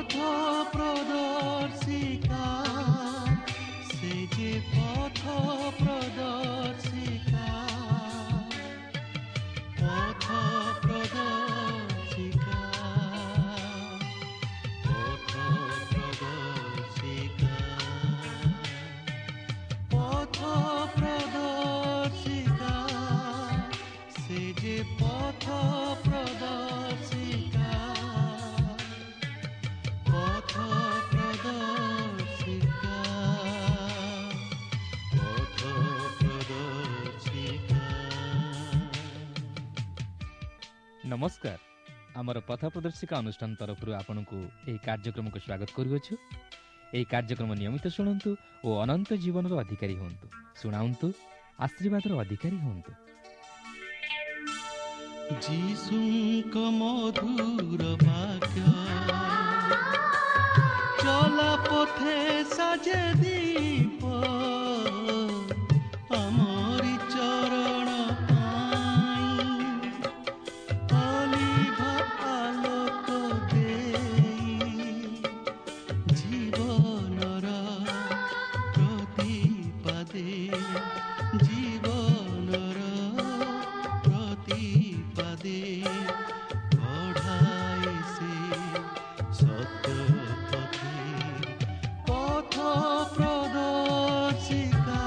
ପଥ ପ୍ରଦର୍ଶିକା, ସେ ଯେ ପଥ ପ୍ରଦର୍ଶିକା, ପଥ ପ୍ରଦର୍ଶିକା, ପଥ ପ୍ରଦର୍ଶିକା, ପଥ ପ୍ରଦର୍ଶିକା, ସେ ଯେ ପଥ ପ୍ରଦର୍ଶିକା, ପଥ ପ୍ରଦର୍ଶିକା, ପଥ ପ୍ରଦର୍ଶିକା। ନମସ୍କାର। ଆମର ପଥ ପ୍ରଦର୍ଶିକା ଅନୁଷ୍ଠାନ ତରଫରୁ ଆପଣଙ୍କୁ ଏହି କାର୍ଯ୍ୟକ୍ରମକୁ ସ୍ୱାଗତ କରୁଅଛୁ। ଏହି କାର୍ଯ୍ୟକ୍ରମ ନିୟମିତ ଶୁଣନ୍ତୁ ଓ ଅନନ୍ତ ଜୀବନର ଅଧିକାରୀ ହୁଅନ୍ତୁ। ଶୁଣାନ୍ତୁ, ଆଶୀର୍ବାଦର ଅଧିକାରୀ ହୁଅନ୍ତୁ। ଯୀଶୁଙ୍କ ମଧୁର ବାକ୍ୟ ଚଲା ପଥେ ସାଜେ ଦୀପ, ଆମରି ଚରଣ ପାଇଁ ଅଲିଭ ଆଲୋକ ଦେଇ, ଜୀବନର ପ୍ରତିପାଦେ, ଜୀବନର ପ୍ରତିପାଦେ କଢ଼ାଏ ସେ ସତ୍ୟ ପଥେ। ପଥ ପ୍ରଦର୍ଶିକା,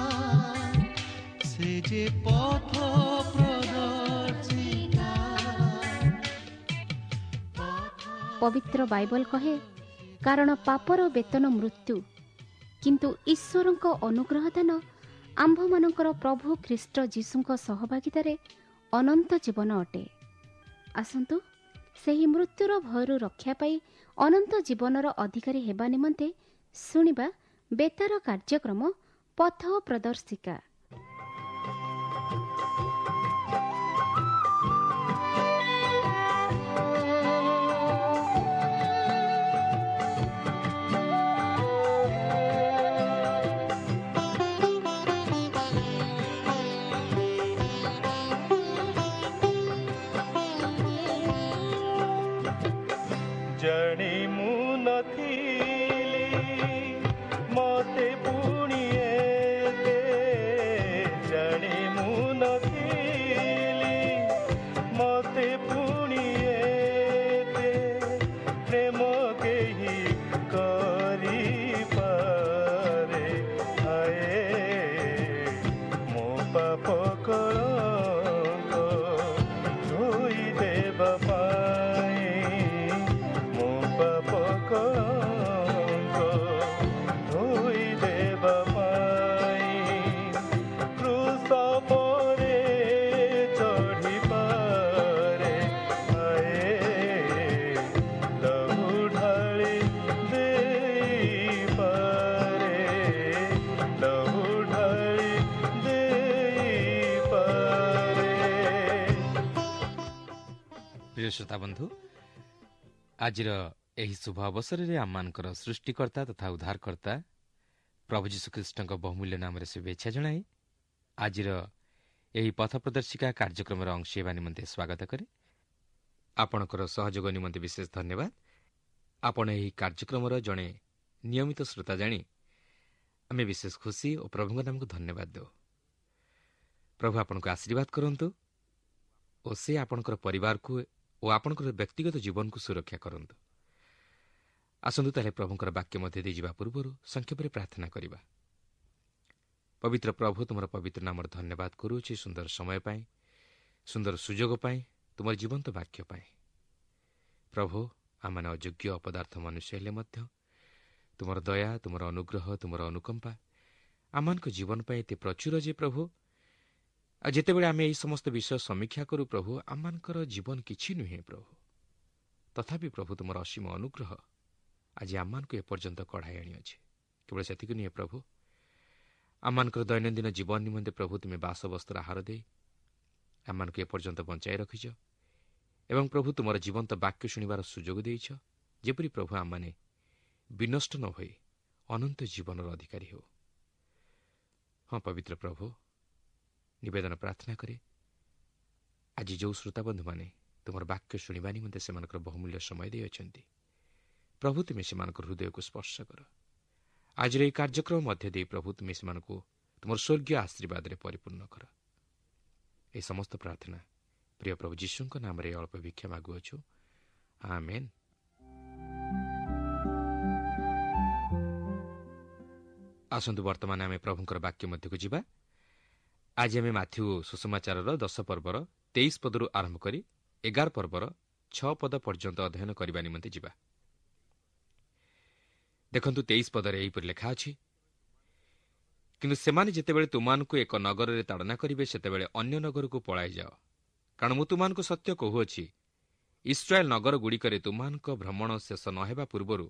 ସେ ଯେ ପଥ ପ୍ରଦର୍ଶିକା, ପବିତ୍ର ବାଇବଲ କହେ, କାରଣ ପାପର ବେତନ ମୃତ୍ୟୁ, କିନ୍ତୁ ଈଶ୍ୱରଙ୍କ ଅନୁଗ୍ରହ ଦାନ ଆମ୍ଭମାନଙ୍କର ପ୍ରଭୁ ଖ୍ରୀଷ୍ଟ ଯୀଶୁଙ୍କ ସହଭାଗିତାରେ ଅନନ୍ତ ଜୀବନ ଅଟେ। ଆସନ୍ତୁ ସେହି ମୃତ୍ୟୁର ଭୟରୁ ରକ୍ଷା ପାଇ ଅନନ୍ତ ଜୀବନର ଅଧିକାରୀ ହେବା ନିମନ୍ତେ ଶୁଣିବା ବେତାର କାର୍ଯ୍ୟକ୍ରମ ପଥ ପ୍ରଦର୍ଶିକା। ଜାଣି ମୁଁ ନଥିଲି ମତେ ପୁଣି ଏତେ, ଜାଣି ମୁଁ ନଥିଲି ମତେ ପୁଣି ଏତେ ପ୍ରେମ କେହି କରିପାରେ। ହାଏ ମୋ ପାପ କଳଙ୍କ ଧୋଇ ଦେବା ପାଇଁ, ମୋ ପାପ କଳଙ୍କ ଧୋଇ ଦେବା ପାଇଁ କ୍ରୁଶ ପରେ ଚଢ଼ିପାରେ। ହାଏ ଲହୁ ଢାଳି ଦେଇପାରେ, ଲହୁ ଢାଳି ଦେଇପାରେ। ପ୍ରିୟ ଶ୍ରୋତା ବନ୍ଧୁ, ଆଜିର ଏହି ଶୁଭ ଅବସରରେ ଆମମାନଙ୍କର ସୃଷ୍ଟିକର୍ତ୍ତା ତଥା ଉଦ୍ଧାରକର୍ତ୍ତା ପ୍ରଭୁ ଯୀଶୁଖ୍ରୀଷ୍ଟଙ୍କ ବହୁମୂଲ୍ୟ ନାମରେ ଶୁଭେଚ୍ଛା ଜଣାଇ ଆଜିର ଏହି ପଥ ପ୍ରଦର୍ଶିକା କାର୍ଯ୍ୟକ୍ରମର ଅଂଶ ହେବା ନିମନ୍ତେ ସ୍ୱାଗତ କରେ। ଆପଣଙ୍କର ସହଯୋଗ ନିମନ୍ତେ ବିଶେଷ ଧନ୍ୟବାଦ। ଆପଣ ଏହି କାର୍ଯ୍ୟକ୍ରମର ଜଣେ ନିୟମିତ ଶ୍ରୋତା ଜାଣି ଆମେ ବିଶେଷ ଖୁସି ଓ ପ୍ରଭୁଙ୍କ ନାମକୁ ଧନ୍ୟବାଦ ଦେଉ। ପ୍ରଭୁ ଆପଣଙ୍କୁ ଆଶୀର୍ବାଦ କରନ୍ତୁ ଓ ସେ ଆପଣଙ୍କର ପରିବାରକୁ ଓ ଆପଣଙ୍କର ବ୍ୟକ୍ତିଗତ ଜୀବନକୁ ସୁରକ୍ଷା କରନ୍ତୁ। ଆସନ୍ତୁ ତାହେଲେ ପ୍ରଭୁଙ୍କର ବାକ୍ୟ ମଧ୍ୟ ଦେଇଯିବା ପୂର୍ବରୁ ସଂକ୍ଷେପରେ ପ୍ରାର୍ଥନା କରିବା। ପବିତ୍ର ପ୍ରଭୁ, ତୁମର ପବିତ୍ର ନାମର ଧନ୍ୟବାଦ କରୁଅଛି ସୁନ୍ଦର ସମୟ ପାଇଁ, ସୁନ୍ଦର ସୁଯୋଗ ପାଇଁ, ତୁମର ଜୀବନ୍ତ ବାକ୍ୟ ପାଇଁ। ପ୍ରଭୁ, ଆମମାନେ ଅଯୋଗ୍ୟ ଅପଦାର୍ଥ ମନୁଷ୍ୟ ହେଲେ ମଧ୍ୟ ତୁମର ଦୟା, ତୁମର ଅନୁଗ୍ରହ, ତୁମର ଅନୁକମ୍ପା ଆମମାନଙ୍କ ଜୀବନ ପାଇଁ ଏତେ ପ୍ରଚୁର ଯେ ପ୍ରଭୁ, ଆଉ ଯେତେବେଳେ ଆମେ ଏହି ସମସ୍ତ ବିଷୟ ସମୀକ୍ଷା କରୁ ପ୍ରଭୁ, ଆମମାନଙ୍କର ଜୀବନ କିଛି ନୁହେଁ ପ୍ରଭୁ, ତଥାପି ପ୍ରଭୁ ତୁମର ଅସୀମ ଅନୁଗ୍ରହ ଆଜି ଆମମାନଙ୍କୁ ଏପର୍ଯ୍ୟନ୍ତ କଢ଼ାଇ ଆଣିଅଛି। କେବଳ ସେତିକି ନୁହେଁ ପ୍ରଭୁ, ଆମମାନଙ୍କର ଦୈନନ୍ଦିନ ଜୀବନ ନିମନ୍ତେ ପ୍ରଭୁ ତୁମେ ବାସବସ୍ତ୍ର ଆହାର ଦେଇ ଆମମାନଙ୍କୁ ଏପର୍ଯ୍ୟନ୍ତ ବଞ୍ଚାଇ ରଖିଛ ଏବଂ ପ୍ରଭୁ ତୁମର ଜୀବନ୍ତ ବାକ୍ୟ ଶୁଣିବାର ସୁଯୋଗ ଦେଇଛ, ଯେପରି ପ୍ରଭୁ ଆମମାନେ ବିନଷ୍ଟ ନ ହୋଇ ଅନନ୍ତ ଜୀବନର ଅଧିକାରୀ ହେଉ। ହଁ ପବିତ୍ର ପ୍ରଭୁ, ନିବେଦନ ପ୍ରାର୍ଥନା କରେ ଆଜି ଯେଉଁ ଶ୍ରୋତାବନ୍ଧୁମାନେ ତୁମର ବାକ୍ୟ ଶୁଣିବା ନିମନ୍ତେ ସେମାନଙ୍କର ବହୁମୂଲ୍ୟ ସମୟ ଦେଇଅଛନ୍ତି, ପ୍ରଭୁ ତୁମେ ସେମାନଙ୍କ ହୃଦୟକୁ ସ୍ପର୍ଶ କର। ଆଜିର ଏହି କାର୍ଯ୍ୟକ୍ରମ ମଧ୍ୟ ଦେଇ ପ୍ରଭୁ ତୁମେ ସେମାନଙ୍କୁ ତୁମର ସ୍ୱର୍ଗୀୟ ଆଶୀର୍ବାଦରେ ପରିପୂର୍ଣ୍ଣ କର। ଏହି ସମସ୍ତ ପ୍ରାର୍ଥନା ପ୍ରିୟ ପ୍ରଭୁ ଯୀଶୁଙ୍କ ନାମରେ ଅଳ୍ପ ଭିକ୍ଷା ମାଗୁଅଛୁ, ଆମେନ୍। ଆସନ୍ତୁ ବର୍ତ୍ତମାନ ଆମେ ପ୍ରଭୁଙ୍କର ବାକ୍ୟ ମଧ୍ୟକୁ ଯିବା। ଆଜି ଆମେ ମାଥ୍ୟୁ ସୁସମାଚାରର 10 ପର୍ବର 23 ପଦରୁ ଆରମ୍ଭ କରି 11 ପର୍ବର 6 ପଦ ପର୍ଯ୍ୟନ୍ତ ଅଧ୍ୟୟନ କରିବା ନିମନ୍ତେ ଯିବା। ଦେଖନ୍ତୁ 23 ପଦରେ ଏହିପରି ଲେଖା ଅଛି, କିନ୍ତୁ ସେମାନେ ଯେତେବେଳେ ତୁମମାନଙ୍କୁ ଏକ ନଗରରେ ତାଡ଼ନା କରିବେ, ସେତେବେଳେ ଅନ୍ୟ ନଗରକୁ ପଳାଇ ଯାଅ। କାରଣ ମୁଁ ତୁମମାନଙ୍କୁ ସତ୍ୟ କହୁଅଛି, ଇସ୍ରାଏଲ ନଗରଗୁଡ଼ିକରେ ତୁମମାନଙ୍କ ଭ୍ରମଣ ଶେଷ ନ ହେବା ପୂର୍ବରୁ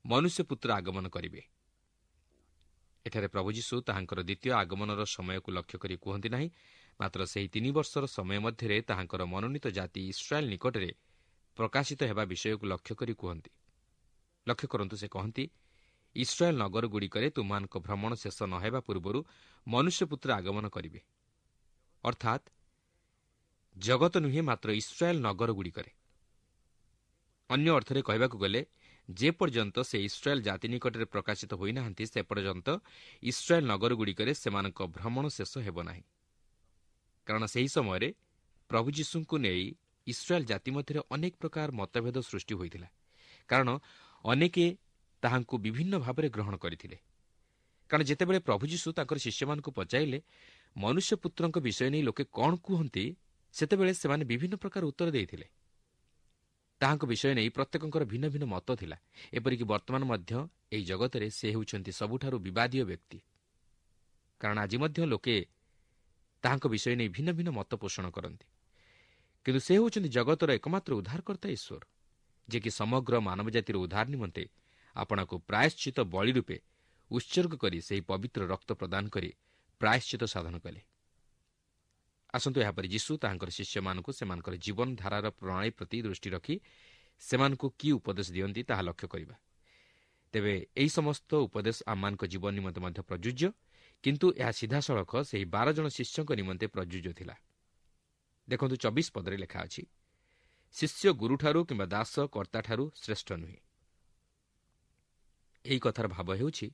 ମନୁଷ୍ୟପୁତ୍ର ଆଗମନ କରିବେ। ଏଠାରେ ପ୍ରଭୁ ଯୀଶୁ ତାହାଙ୍କର ଦ୍ୱିତୀୟ ଆଗମନର ସମୟକୁ ଲକ୍ଷ୍ୟ କରି କୁହନ୍ତି ନାହିଁ, ମାତ୍ର ସେହି 3 ବର୍ଷର ସମୟ ମଧ୍ୟରେ ତାହାଙ୍କର ମନୋନୀତ ଜାତି ଇସ୍ରାଏଲ ନିକଟରେ ପ୍ରକାଶିତ ହେବା ବିଷୟକୁ ଲକ୍ଷ୍ୟ କରି କୁହନ୍ତି। ଲକ୍ଷ୍ୟ କରନ୍ତୁ, ସେ କହନ୍ତି, ଇସ୍ରାଏଲ ନଗରଗୁଡ଼ିକରେ ତୁମମାନଙ୍କ ଭ୍ରମଣ ଶେଷ ନ ହେବା ପୂର୍ବରୁ ମନୁଷ୍ୟପୁତ୍ର ଆଗମନ କରିବେ। ଅର୍ଥାତ୍ ଜଗତ ନୁହେଁ, ମାତ୍ର ଇସ୍ରାଏଲ ନଗରଗୁଡ଼ିକରେ। ଅନ୍ୟ ଅର୍ଥରେ କହିବାକୁ ଗଲେ, ଯେପର୍ଯ୍ୟନ୍ତ ସେ ଇସ୍ରାଏଲ ଜାତି ନିକଟରେ ପ୍ରକାଶିତ ହୋଇନାହାନ୍ତି, ସେ ପର୍ଯ୍ୟନ୍ତ ଇସ୍ରାଏଲ ନଗରଗୁଡ଼ିକରେ ସେମାନଙ୍କ ଭ୍ରମଣ ଶେଷ ହେବ ନାହିଁ। କାରଣ ସେହି ସମୟରେ ପ୍ରଭୁ ଯୀଶୁଙ୍କୁ ନେଇ ଇସ୍ରାଏଲ ଜାତି ମଧ୍ୟରେ ଅନେକ ପ୍ରକାର ମତଭେଦ ସୃଷ୍ଟି ହୋଇଥିଲା। କାରଣ ଅନେକେ ତାହାଙ୍କୁ ବିଭିନ୍ନ ଭାବରେ ଗ୍ରହଣ କରିଥିଲେ। କାରଣ ଯେତେବେଳେ ପ୍ରଭୁ ଯୀଶୁ ତାଙ୍କର ଶିଷ୍ୟମାନଙ୍କୁ ପଚାରିଲେ ମନୁଷ୍ୟପୁତ୍ରଙ୍କ ବିଷୟ ନେଇ ଲୋକେ କ'ଣ କୁହନ୍ତି, ସେତେବେଳେ ସେମାନେ ବିଭିନ୍ନ ପ୍ରକାର ଉତ୍ତର ଦେଇଥିଲେ। ତାହାଙ୍କ ବିଷୟ ନେଇ ପ୍ରତ୍ୟେକଙ୍କର ଭିନ୍ନ ଭିନ୍ନ ମତ ଥିଲା। ଏପରିକି ବର୍ତ୍ତମାନ ମଧ୍ୟ ଏହି ଜଗତରେ ସେ ହେଉଛନ୍ତି ସବୁଠାରୁ ବିବାଦୀୟ ବ୍ୟକ୍ତି। କାରଣ ଆଜି ମଧ୍ୟ ଲୋକେ ତାହାଙ୍କ ବିଷୟ ନେଇ ଭିନ୍ନ ଭିନ୍ନ ମତ ପୋଷଣ କରନ୍ତି। କିନ୍ତୁ ସେ ହେଉଛନ୍ତି ଜଗତର ଏକମାତ୍ର ଉଦ୍ଧାରକର୍ତ୍ତା ଈଶ୍ୱର, ଯିଏକି ସମଗ୍ର ମାନବ ଜାତିର ଉଦ୍ଧାର ନିମନ୍ତେ ଆପଣଙ୍କୁ ପ୍ରାୟଶ୍ଚିତ ବଳି ରୂପେ ଉତ୍ସର୍ଗ କରି ସେହି ପବିତ୍ର ରକ୍ତ ପ୍ରଦାନ କରି ପ୍ରାୟଶ୍ଚିତ ସାଧନ କଲେ। ଆସନ୍ତୁ ଏହାପରେ ଯୀଶୁ ତାହାଙ୍କର ଶିଷ୍ୟମାନଙ୍କୁ ସେମାନଙ୍କର ଜୀବନଧାରାର ପ୍ରଣାଳୀ ପ୍ରତି ଦୃଷ୍ଟି ରଖି ସେମାନଙ୍କୁ କି ଉପଦେଶ ଦିଅନ୍ତି ତାହା ଲକ୍ଷ୍ୟ କରିବା। ତେବେ ଏହି ସମସ୍ତ ଉପଦେଶ ଆମମାନଙ୍କ ଜୀବନ ନିମନ୍ତେ ମଧ୍ୟ ପ୍ରଯୁଜ୍ୟ, କିନ୍ତୁ ଏହା ସିଧାସଳଖ ସେହି 12 ଜଣ ଶିଷ୍ୟଙ୍କ ନିମନ୍ତେ ପ୍ରଯୁଜ୍ୟ ଥିଲା। ଦେଖନ୍ତୁ 24 ପଦରେ ଲେଖା ଅଛି, ଶିଷ୍ୟ ଗୁରୁଠାରୁ କିମ୍ବା ଦାସ କର୍ତ୍ତାଠାରୁ ଶ୍ରେଷ୍ଠ ନୁହେଁ। ଏହି କଥାର ଭାବ ହେଉଛି,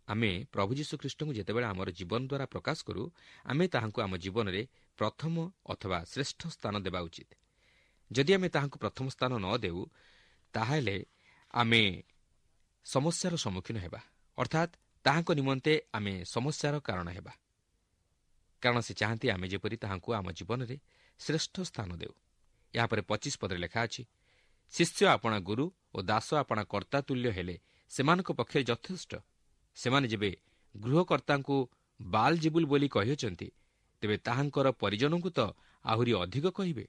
ଆମେ ପ୍ରଭୁ ଯୀଶୁଖ୍ରୀଷ୍ଟଙ୍କୁ ଯେତେବେଳେ ଆମର ଜୀବନ ଦ୍ୱାରା ପ୍ରକାଶ କରୁ, ଆମେ ତାହାଙ୍କୁ ଆମ ଜୀବନରେ ପ୍ରଥମ ଅଥବା ଶ୍ରେଷ୍ଠ ସ୍ଥାନ ଦେବା ଉଚିତ। ଯଦି ଆମେ ତାହାଙ୍କୁ ପ୍ରଥମ ସ୍ଥାନ ନ ଦେଉ, ତାହେଲେ ଆମେ ସମସ୍ୟାର ସମ୍ମୁଖୀନ ହେବା, ଅର୍ଥାତ୍ ତାହାଙ୍କ ନିମନ୍ତେ ଆମେ ସମସ୍ୟାର କାରଣ ହେବା। କାରଣ ସେ ଚାହାନ୍ତି ଆମେ ଯେପରି ତାହାଙ୍କୁ ଆମ ଜୀବନରେ ଶ୍ରେଷ୍ଠ ସ୍ଥାନ ଦେଉ। ଏହାପରେ 25 ପଦରେ ଲେଖା ଅଛି, ଶିଷ୍ୟ ଆପଣା ଗୁରୁ ଓ ଦାସ ଆପଣା କର୍ତ୍ତା ତୁଲ୍ୟ ହେଲେ ସେମାନଙ୍କ ପକ୍ଷରେ ଯଥେଷ୍ଟ। ସେମାନେ ଯେବେ ଗୃହକର୍ତ୍ତାଙ୍କୁ ବାଲଜିବୁଲ ବୋଲି କହିଅଛନ୍ତି, ତେବେ ତାହାଙ୍କର ପରିଜନଙ୍କୁ ତ ଆହୁରି ଅଧିକ କହିବେ।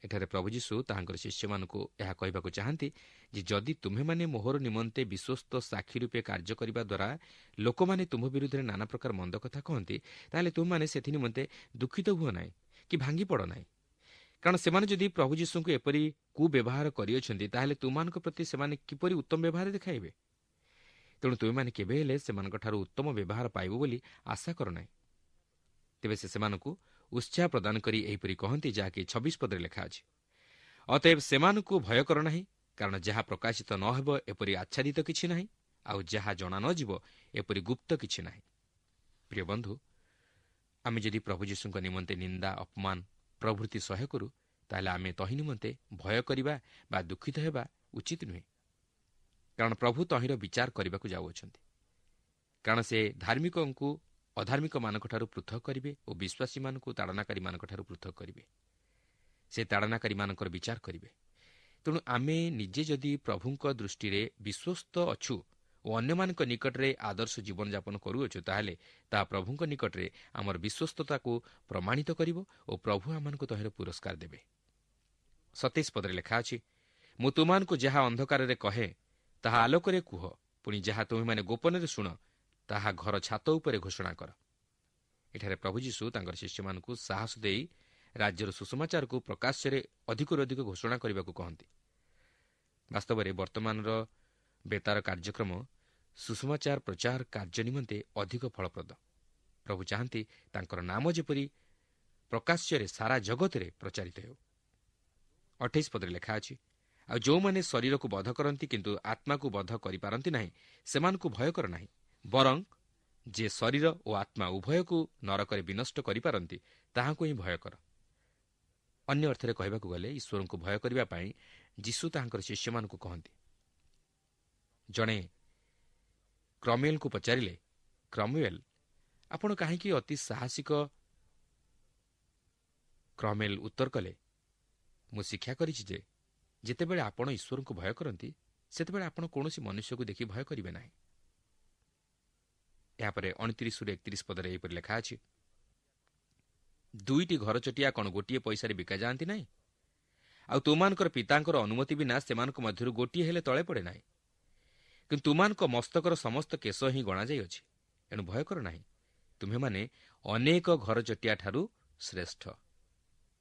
ଏଠାରେ ପ୍ରଭୁ ଯୀଶୁ ତାହାଙ୍କର ଶିଷ୍ୟମାନଙ୍କୁ ଏହା କହିବାକୁ ଚାହାନ୍ତି ଯେ ଯଦି ତୁମ୍ଭେମାନେ ମୋହର ନିମନ୍ତେ ବିଶ୍ୱସ୍ତ ସାକ୍ଷୀ ରୂପେ କାର୍ଯ୍ୟ କରିବା ଦ୍ୱାରା ଲୋକମାନେ ତୁମ୍ଭ ବିରୁଦ୍ଧରେ ନାନା ପ୍ରକାର ମନ୍ଦ କଥା କହନ୍ତି, ତାହେଲେ ତୁମେମାନେ ସେଥି ନିମନ୍ତେ ଦୁଃଖିତ ହୁଅ ନାହିଁ କି ଭାଙ୍ଗି ପଡ଼ ନାହିଁ। କାରଣ ସେମାନେ ଯଦି ପ୍ରଭୁ ଯୀଶୁଙ୍କୁ ଏପରି କୁବ୍ୟବହାର କରିଅଛନ୍ତି, ତାହେଲେ ତୁମମାନଙ୍କ ପ୍ରତି ସେମାନେ କିପରି ଉତ୍ତମ ବ୍ୟବହାର ଦେଖାଇବେ? ତେଣୁ ତୁମେମାନେ କେବେ ହେଲେ ସେମାନଙ୍କଠାରୁ ଉତ୍ତମ ବ୍ୟବହାର ପାଇବ ବୋଲି ଆଶା କର ନାହିଁ। ତେବେ ସେ ସେମାନଙ୍କୁ ଉତ୍ସାହ ପ୍ରଦାନ କରି ଏହିପରି କହନ୍ତି, ଯାହାକି 26 ପଦରେ ଲେଖା ଅଛି, ଅତଏବ ସେମାନଙ୍କୁ ଭୟ କର ନାହିଁ, କାରଣ ଯାହା ପ୍ରକାଶିତ ନ ହେବ ଏପରି ଆଚ୍ଛାଦିତ କିଛି ନାହିଁ, ଆଉ ଯାହା ଜଣା ନ ଯିବ ଏପରି ଗୁପ୍ତ କିଛି ନାହିଁ। ପ୍ରିୟ ବନ୍ଧୁ, ଆମେ ଯଦି ପ୍ରଭୁ ଯୀଶୁଙ୍କ ନିମନ୍ତେ ନିନ୍ଦା, ଅପମାନ ପ୍ରଭୃତି ସହ୍ୟ କରୁ, ତାହେଲେ ଆମେ ତହିଁ ନିମନ୍ତେ ଭୟ କରିବା ବା ଦୁଃଖିତ ହେବା ଉଚିତ ନୁହେଁ। କାରଣ ପ୍ରଭୁ ତହିଁର ବିଚାର କରିବାକୁ ଯାଉଅଛନ୍ତି। କାରଣ ସେ ଧାର୍ମିକଙ୍କୁ ଅଧାର୍ମିକମାନଙ୍କଠାରୁ ପୃଥକ କରିବେ ଓ ବିଶ୍ୱାସୀମାନଙ୍କୁ ତାଡ଼ନାକାରୀମାନଙ୍କଠାରୁ ପୃଥକ କରିବେ। ସେ ତାଡ଼ନାକାରୀମାନଙ୍କର ବିଚାର କରିବେ। ତେଣୁ ଆମେ ନିଜେ ଯଦି ପ୍ରଭୁଙ୍କ ଦୃଷ୍ଟିରେ ବିଶ୍ୱସ୍ତ ଅଛୁ ଓ ଅନ୍ୟମାନଙ୍କ ନିକଟରେ ଆଦର୍ଶ ଜୀବନଯାପନ କରୁଅଛୁ, ତାହେଲେ ତାହା ପ୍ରଭୁଙ୍କ ନିକଟରେ ଆମର ବିଶ୍ୱସ୍ତତାକୁ ପ୍ରମାଣିତ କରିବ ଓ ପ୍ରଭୁ ଆମମାନଙ୍କୁ ତହିଁର ପୁରସ୍କାର ଦେବେ। 27 ପଦରେ ଲେଖା ଅଛି, ମୁଁ ତୁମମାନଙ୍କୁ ଯାହା ଅନ୍ଧକାରରେ କହେ ତାହା ଆଲୋକରେ କୁହ, ପୁଣି ଯାହା ତୁମେମାନେ ଗୋପନରେ ଶୁଣ ତାହା ଘର ଛାତ ଉପରେ ଘୋଷଣା କର। ଏଠାରେ ପ୍ରଭୁ ଯୀଶୁ ତାଙ୍କର ଶିଷ୍ୟମାନଙ୍କୁ ସାହସ ଦେଇ ରାଜ୍ୟର ସୁସମାଚାରକୁ ପ୍ରକାଶ୍ୟରେ ଅଧିକରୁ ଅଧିକ ଘୋଷଣା କରିବାକୁ କହନ୍ତି। ବାସ୍ତବରେ ବର୍ତ୍ତମାନର ବେତାର କାର୍ଯ୍ୟକ୍ରମ ସୁସମାଚାର ପ୍ରଚାର କାର୍ଯ୍ୟ ନିମନ୍ତେ ଅଧିକ ଫଳପ୍ରଦ। ପ୍ରଭୁ ଚାହାନ୍ତି ତାଙ୍କର ନାମ ଯେପରି ପ୍ରକାଶ୍ୟରେ ସାରା ଜଗତରେ ପ୍ରଚାରିତ ହେଉ। 28 ପଦରେ ଲେଖା ଅଛି, ଆଉ ଯେଉଁମାନେ ଶରୀରକୁ ବଧ କରନ୍ତି କିନ୍ତୁ ଆତ୍ମାକୁ ବଧ କରିପାରନ୍ତି ନାହିଁ, ସେମାନଙ୍କୁ ଭୟ କର ନାହିଁ, ବରଂ ଯେ ଶରୀର ଓ ଆତ୍ମା ଉଭୟକୁ ନରକରେ ବିନଷ୍ଟ କରିପାରନ୍ତି ତାହାଙ୍କୁ ହିଁ ଭୟ କର। ଅନ୍ୟ ଅର୍ଥରେ କହିବାକୁ ଗଲେ ଈଶ୍ୱରଙ୍କୁ ଭୟ କରିବା ପାଇଁ ଯୀଶୁ ତାହାଙ୍କର ଶିଷ୍ୟମାନଙ୍କୁ କହନ୍ତି। ଜଣେ କ୍ରମେଲଙ୍କୁ ପଚାରିଲେ, କ୍ରମେଲ, ଆପଣ କାହିଁକି ଅତି ସାହସିକ? କ୍ରମେଲ ଉତ୍ତର କଲେ, ମୁଁ ଶିକ୍ଷା କରିଛି ଯେ ଯେତେବେଳେ ଆପଣ ଈଶ୍ୱରଙ୍କୁ ଭୟ କରନ୍ତି ସେତେବେଳେ ଆପଣ କୌଣସି ମନୁଷ୍ୟକୁ ଦେଖି ଭୟ କରିବେ ନାହିଁ। ଏହାପରେ 29ରୁ 31 ପଦରେ ଏହିପରି ଲେଖା ଅଛି, ଦୁଇଟି ଘରଚଟିଆ କ'ଣ ଗୋଟିଏ ପଇସାରେ ବିକାଯାଆନ୍ତି ନାହିଁ? ଆଉ ତୁମମାନଙ୍କର ପିତାଙ୍କର ଅନୁମତି ବିନା ସେମାନଙ୍କ ମଧ୍ୟରୁ ଗୋଟିଏ ହେଲେ ତଳେ ପଡ଼େ ନାହିଁ। କିନ୍ତୁ ତୁମମାନଙ୍କ ମସ୍ତକର ସମସ୍ତ କେଶ ହିଁ ଗଣାଯାଇଅଛି। ଏଣୁ ଭୟ କର ନାହିଁ, ତୁମ୍ଭେମାନେ ଅନେକ ଘରଚଟିଆଠାରୁ ଶ୍ରେଷ୍ଠ।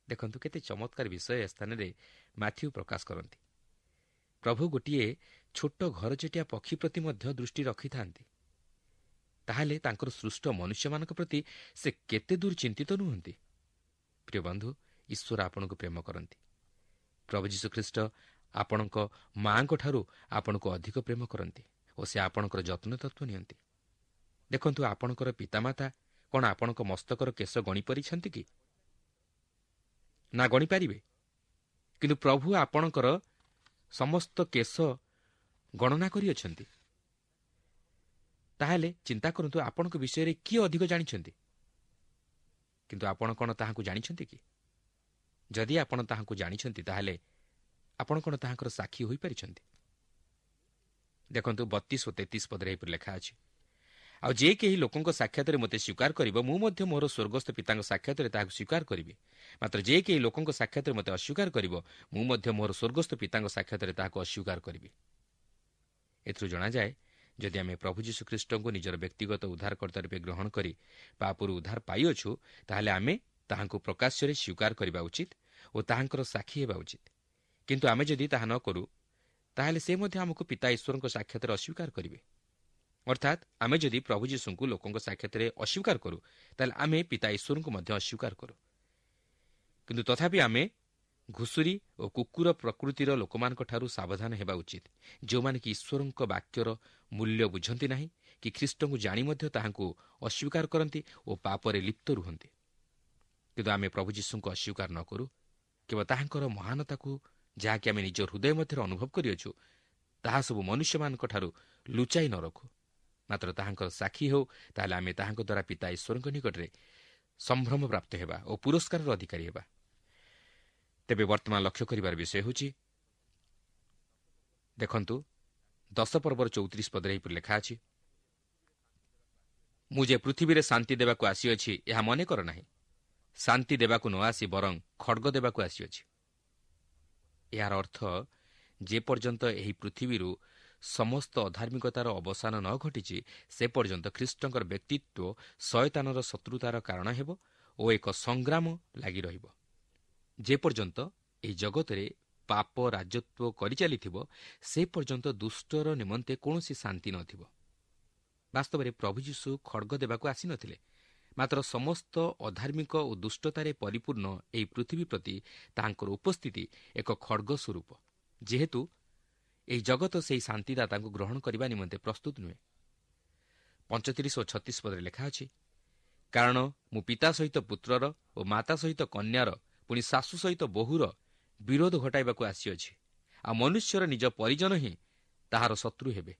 ଦେଖନ୍ତୁ କେତେ ଚମତ୍କାର ବିଷୟ ଏ ସ୍ଥାନରେ ମାଥ୍ୟୁ ପ୍ରକାଶ କରନ୍ତି। ପ୍ରଭୁ ଗୋଟିଏ ଛୋଟ ଘରଚଟିଆ ପକ୍ଷୀ ପ୍ରତି ମଧ୍ୟ ଦୃଷ୍ଟି ରଖିଥାନ୍ତି, ତାହେଲେ ତାଙ୍କର ସୃଷ୍ଟ ମନୁଷ୍ୟମାନଙ୍କ ପ୍ରତି ସେ କେତେ ଦୂର ଚିନ୍ତିତ ନୁହନ୍ତି? ପ୍ରିୟ ବନ୍ଧୁ, ଈଶ୍ୱର ଆପଣଙ୍କୁ ପ୍ରେମ କରନ୍ତି। ପ୍ରଭୁ ଯୀଶୁଖ୍ରୀଷ୍ଟ ଆପଣଙ୍କ ମାଆଙ୍କଠାରୁ ଆପଣଙ୍କୁ ଅଧିକ ପ୍ରେମ କରନ୍ତି ଓ ସେ ଆପଣଙ୍କର ଯତ୍ନ ତତ୍ତ୍ୱ ନିଅନ୍ତି। ଦେଖନ୍ତୁ, ଆପଣଙ୍କର ପିତାମାତା କ'ଣ ଆପଣଙ୍କ ମସ୍ତକର କେଶ ଗଣିପାରିଛନ୍ତି କି? ନା ଗଣିପାରିବେ। କିନ୍ତୁ ପ୍ରଭୁ ଆପଣଙ୍କର ସମସ୍ତ କେଶ ଗଣନା କରିଅଛନ୍ତି। ତାହେଲେ ଚିନ୍ତା କରନ୍ତୁ, ଆପଣଙ୍କ ବିଷୟରେ କିଏ ଅଧିକ ଜାଣିଛନ୍ତି? କିନ୍ତୁ ଆପଣ କ'ଣ ତାହାଙ୍କୁ ଜାଣିଛନ୍ତି କି? ଯଦି ଆପଣ ତାହାଙ୍କୁ ଜାଣିଛନ୍ତି, ତାହେଲେ ଆପଣ କ'ଣ ତାହାଙ୍କର ସାକ୍ଷୀ ହୋଇପାରିଛନ୍ତି? ଦେଖନ୍ତୁ, 32 ଓ 33 ପଦରେ ଏହିପରି ଲେଖା ଅଛି, ଆଉ ଯେ କେହି ଲୋକଙ୍କ ସାକ୍ଷାତରେ ମୋତେ ସ୍ୱୀକାର କରିବ, ମୁଁ ମଧ୍ୟ ମୋର ସ୍ୱର୍ଗସ୍ଥ ପିତାଙ୍କ ସାକ୍ଷାତରେ ତାହାକୁ ସ୍ୱୀକାର କରିବି। ମାତ୍ର ଯେ କେହି ଲୋକଙ୍କ ସାକ୍ଷାତରେ ମୋତେ ଅସ୍ୱୀକାର କରିବ, ମୁଁ ମଧ୍ୟ ମୋର ସ୍ୱର୍ଗସ୍ଥ ପିତାଙ୍କ ସାକ୍ଷାତରେ ତାହାକୁ ଅସ୍ୱୀକାର କରିବି। ଏଥିରୁ ଜଣାଯାଏ, ଯଦି ଆମେ ପ୍ରଭୁ ଯୀଶୁଖ୍ରୀଷ୍ଟଙ୍କୁ ନିଜର ବ୍ୟକ୍ତିଗତ ଉଦ୍ଧାରକର୍ତ୍ତା ରୂପେ ଗ୍ରହଣ କରି ପାପରୁ ଉଦ୍ଧାର ପାଇଅଛୁ, ତାହେଲେ ଆମେ ତାହାଙ୍କୁ ପ୍ରକାଶ୍ୟରେ ସ୍ୱୀକାର କରିବା ଉଚିତ ଓ ତାହାଙ୍କର ସାକ୍ଷୀ ହେବା ଉଚିତ। କିନ୍ତୁ ଆମେ ଯଦି ତାହା ନ କରୁ, ତାହେଲେ ସେ ମଧ୍ୟ ଆମକୁ ପିତା ଈଶ୍ୱରଙ୍କ ସାକ୍ଷାତରେ ଅସ୍ୱୀକାର କରିବେ। ଅର୍ଥାତ୍ ଆମେ ଯଦି ପ୍ରଭୁ ଯୀଶୁଙ୍କୁ ଲୋକଙ୍କ ସାକ୍ଷାତରେ ଅସ୍ୱୀକାର କରୁ, ତାହେଲେ ଆମେ ପିତା ଈଶ୍ୱରଙ୍କୁ ମଧ୍ୟ ଅସ୍ୱୀକାର କରୁ। କିନ୍ତୁ ତଥାପି ଆମେ ଘୁଷୁରୀ ଓ କୁକୁର ପ୍ରକୃତିର ଲୋକମାନଙ୍କଠାରୁ ସାବଧାନ ହେବା ଉଚିତ, ଯେଉଁମାନେ କି ଈଶ୍ୱରଙ୍କ ବାକ୍ୟର ମୂଲ୍ୟ ବୁଝନ୍ତି ନାହିଁ କି ଖ୍ରୀଷ୍ଟଙ୍କୁ ଜାଣି ମଧ୍ୟ ତାହାଙ୍କୁ ଅସ୍ୱୀକାର କରନ୍ତି ଓ ପାପରେ ଲିପ୍ତ ରୁହନ୍ତି। କିନ୍ତୁ ଆମେ ପ୍ରଭୁ ଯୀଶୁଙ୍କୁ ଅସ୍ୱୀକାର ନ କରୁ, କେବଳ ତାହାଙ୍କର ମହାନତାକୁ, ଯାହାକି ଆମେ ନିଜ ହୃଦୟ ମଧ୍ୟରେ ଅନୁଭବ କରିଅଛୁ, ତାହା ସବୁ ମନୁଷ୍ୟମାନଙ୍କଠାରୁ ଲୁଚାଇ ନ ରଖୁ, ମାତ୍ର ତାହାଙ୍କର ସାକ୍ଷୀ ହେଉ, ତାହେଲେ ଆମେ ତାହାଙ୍କ ଦ୍ୱାରା ପିତା ଈଶ୍ୱରଙ୍କ ନିକଟରେ ସମ୍ଭ୍ରମ ପ୍ରାପ୍ତ ହେବା ଓ ପୁରସ୍କାରର ଅଧିକାରୀ ହେବା। ତେବେ ବର୍ତ୍ତମାନ ଲକ୍ଷ୍ୟ କରିବାର ବିଷୟ ହେଉଛି, ଦେଖନ୍ତୁ, 10 ପର୍ବର 34 ପଦରେ ଏହିପରି ଲେଖା ଅଛି, ମୁଁ ଯେ ପୃଥିବୀରେ ଶାନ୍ତି ଦେବାକୁ ଆସିଅଛି, ଏହା ମନେ କର ନାହିଁ। ଶାନ୍ତି ଦେବାକୁ ନ ଆସି ବରଂ ଖଡ଼ଗ ଦେବାକୁ ଆସିଅଛି। ଏହାର ଅର୍ଥ, ଯେପର୍ଯ୍ୟନ୍ତ ଏହି ପୃଥିବୀରୁ ସମସ୍ତ ଅଧାର୍ମିକତାର ଅବସାନ ନ ଘଟିଛି, ସେ ପର୍ଯ୍ୟନ୍ତ ଖ୍ରୀଷ୍ଟଙ୍କର ବ୍ୟକ୍ତିତ୍ୱ ଶୟତାନର ଶତ୍ରୁତାର କାରଣ ହେବ ଓ ଏକ ସଂଗ୍ରାମ ଲାଗି ରହିବ। ଯେପର୍ଯ୍ୟନ୍ତ ଏହି ଜଗତରେ ପାପ ରାଜତ୍ୱ କରିଚାଲିଥିବ, ସେ ପର୍ଯ୍ୟନ୍ତ ଦୁଷ୍ଟର ନିମନ୍ତେ କୌଣସି ଶାନ୍ତି ନଥିବ। ବାସ୍ତବରେ ପ୍ରଭୁ ଯୀଶୁ ଖଡ଼ଗ ଦେବାକୁ ଆସିନଥିଲେ, ମାତ୍ର ସମସ୍ତ ଅଧାର୍ମିକ ଓ ଦୁଷ୍ଟତାରେ ପରିପୂର୍ଣ୍ଣ ଏହି ପୃଥିବୀ ପ୍ରତି ତାହାଙ୍କର ଉପସ୍ଥିତି ଏକ ଖଡ଼ଗ ସ୍ୱରୂପ, ଯେହେତୁ ଏହି ଜଗତ ସେହି ଶାନ୍ତିଦାତାଙ୍କୁ ଗ୍ରହଣ କରିବା ନିମନ୍ତେ ପ୍ରସ୍ତୁତ ନୁହେଁ। 35 ଓ 36 ପଦରେ ଲେଖା ଅଛି, କାରଣ ମୁଁ ପିତା ସହିତ ପୁତ୍ରର ଓ ମାତା ସହିତ କନ୍ୟାର, ପୁଣି ଶାଶୁ ସହିତ ବୋହୂର ବିରୋଧ ଘଟାଇବାକୁ ଆସିଅଛି। ଆଉ ମନୁଷ୍ୟର ନିଜ ପରିଜନ ହିଁ ତାହାର ଶତ୍ରୁ ହେବେ।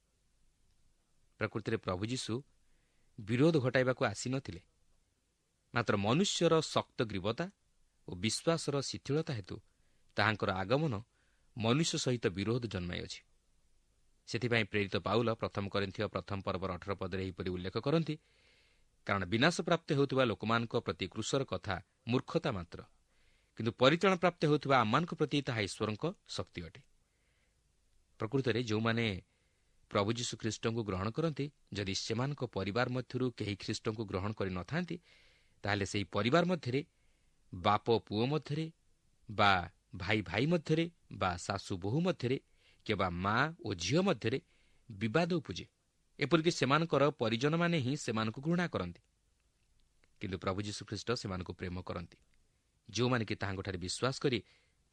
ପ୍ରକୃତିରେ ପ୍ରଭୁ ଯୀଶୁ ବିରୋଧ ଘଟାଇବାକୁ ଆସିନଥିଲେ, ମାତ୍ର ମନୁଷ୍ୟର ଶକ୍ତ ଗ୍ରୀବତା ଓ ବିଶ୍ୱାସର ଶିଥିଳତା ହେତୁ ତାହାଙ୍କର ଆଗମନ ମନୁଷ୍ୟ ସହିତ ବିରୋଧ ଜନ୍ମାଇଅଛି। ସେଥିପାଇଁ ପ୍ରେରିତ ପାଉଲ ପ୍ରଥମ କରିନ୍ଥୀୟ ପ୍ରଥମ ପର୍ବର 18 ପଦରେ ଏହିପରି ଉଲ୍ଲେଖ କରନ୍ତି, କାରଣ ବିନାଶପ୍ରାପ୍ତ ହେଉଥିବା ଲୋକମାନଙ୍କ ପ୍ରତି କ୍ରୁଶର କଥା ମୂର୍ଖତା ମାତ୍ର, କିନ୍ତୁ ପରିତ୍ରାଣ ପ୍ରାପ୍ତ ହେଉଥିବା ଆମମାନଙ୍କ ପ୍ରତି ତାହା ଈଶ୍ୱରଙ୍କ ଶକ୍ତି ଅଟେ। ପ୍ରକୃତରେ ଯେଉଁମାନେ ପ୍ରଭୁ ଯୀଶୁ ଖ୍ରୀଷ୍ଟଙ୍କୁ ଗ୍ରହଣ କରନ୍ତି, ଯଦି ସେମାନଙ୍କ ପରିବାର ମଧ୍ୟରୁ କେହି ଖ୍ରୀଷ୍ଟଙ୍କୁ ଗ୍ରହଣ କରିନଥାନ୍ତି, ତାହେଲେ ସେହି ପରିବାର ମଧ୍ୟରେ ବାପ ପୁଅ ମଧ୍ୟରେ ବା ଭାଇ ଭାଇ ମଧ୍ୟରେ ବା ଶାଶୁ ବୋହୂ ମଧ୍ୟରେ କିମ୍ବା ମା ଓ ଝିଅ ମଧ୍ୟରେ ବିବାଦ ଉପୁଜେ। ଏପରିକି ସେମାନଙ୍କର ପରିଜନମାନେ ହିଁ ସେମାନଙ୍କୁ ଘୃଣା କରନ୍ତି। କିନ୍ତୁ ପ୍ରଭୁ ଯୀଶୁଖ୍ରୀଷ୍ଟ ସେମାନଙ୍କୁ ପ୍ରେମ କରନ୍ତି, ଯେଉଁମାନେ କି ତାହାଙ୍କଠାରେ ବିଶ୍ୱାସ କରି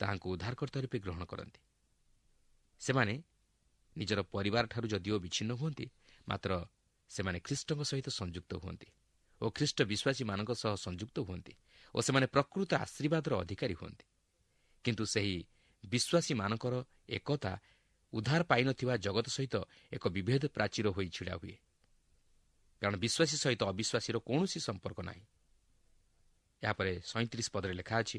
ତାହାଙ୍କୁ ଉଦ୍ଧାରକର୍ତ୍ତା ରୂପେ ଗ୍ରହଣ କରନ୍ତି। ସେମାନେ ନିଜର ପରିବାରଠାରୁ ଯଦିଓ ବିଚ୍ଛିନ୍ନ ହୁଅନ୍ତି, ମାତ୍ର ସେମାନେ ଖ୍ରୀଷ୍ଟଙ୍କ ସହିତ ସଂଯୁକ୍ତ ହୁଅନ୍ତି ଓ ଖ୍ରୀଷ୍ଟ ବିଶ୍ୱାସୀମାନଙ୍କ ସହ ସଂଯୁକ୍ତ ହୁଅନ୍ତି ଓ ସେମାନେ ପ୍ରକୃତ ଆଶୀର୍ବାଦର ଅଧିକାରୀ ହୁଅନ୍ତି। କିନ୍ତୁ ସେହି ବିଶ୍ୱାସୀମାନଙ୍କର ଏକତା ଉଦ୍ଧାର ପାଇନଥିବା ଜଗତ ସହିତ ଏକ ବିଭେଦ ପ୍ରାଚୀର ହୋଇ ଛିଡ଼ା ହୁଏ, କାରଣ ବିଶ୍ୱାସୀ ସହିତ ଅବିଶ୍ୱାସୀର କୌଣସି ସମ୍ପର୍କ ନାହିଁ। ଏହାପରେ 37 ପଦରେ ଲେଖା ଅଛି,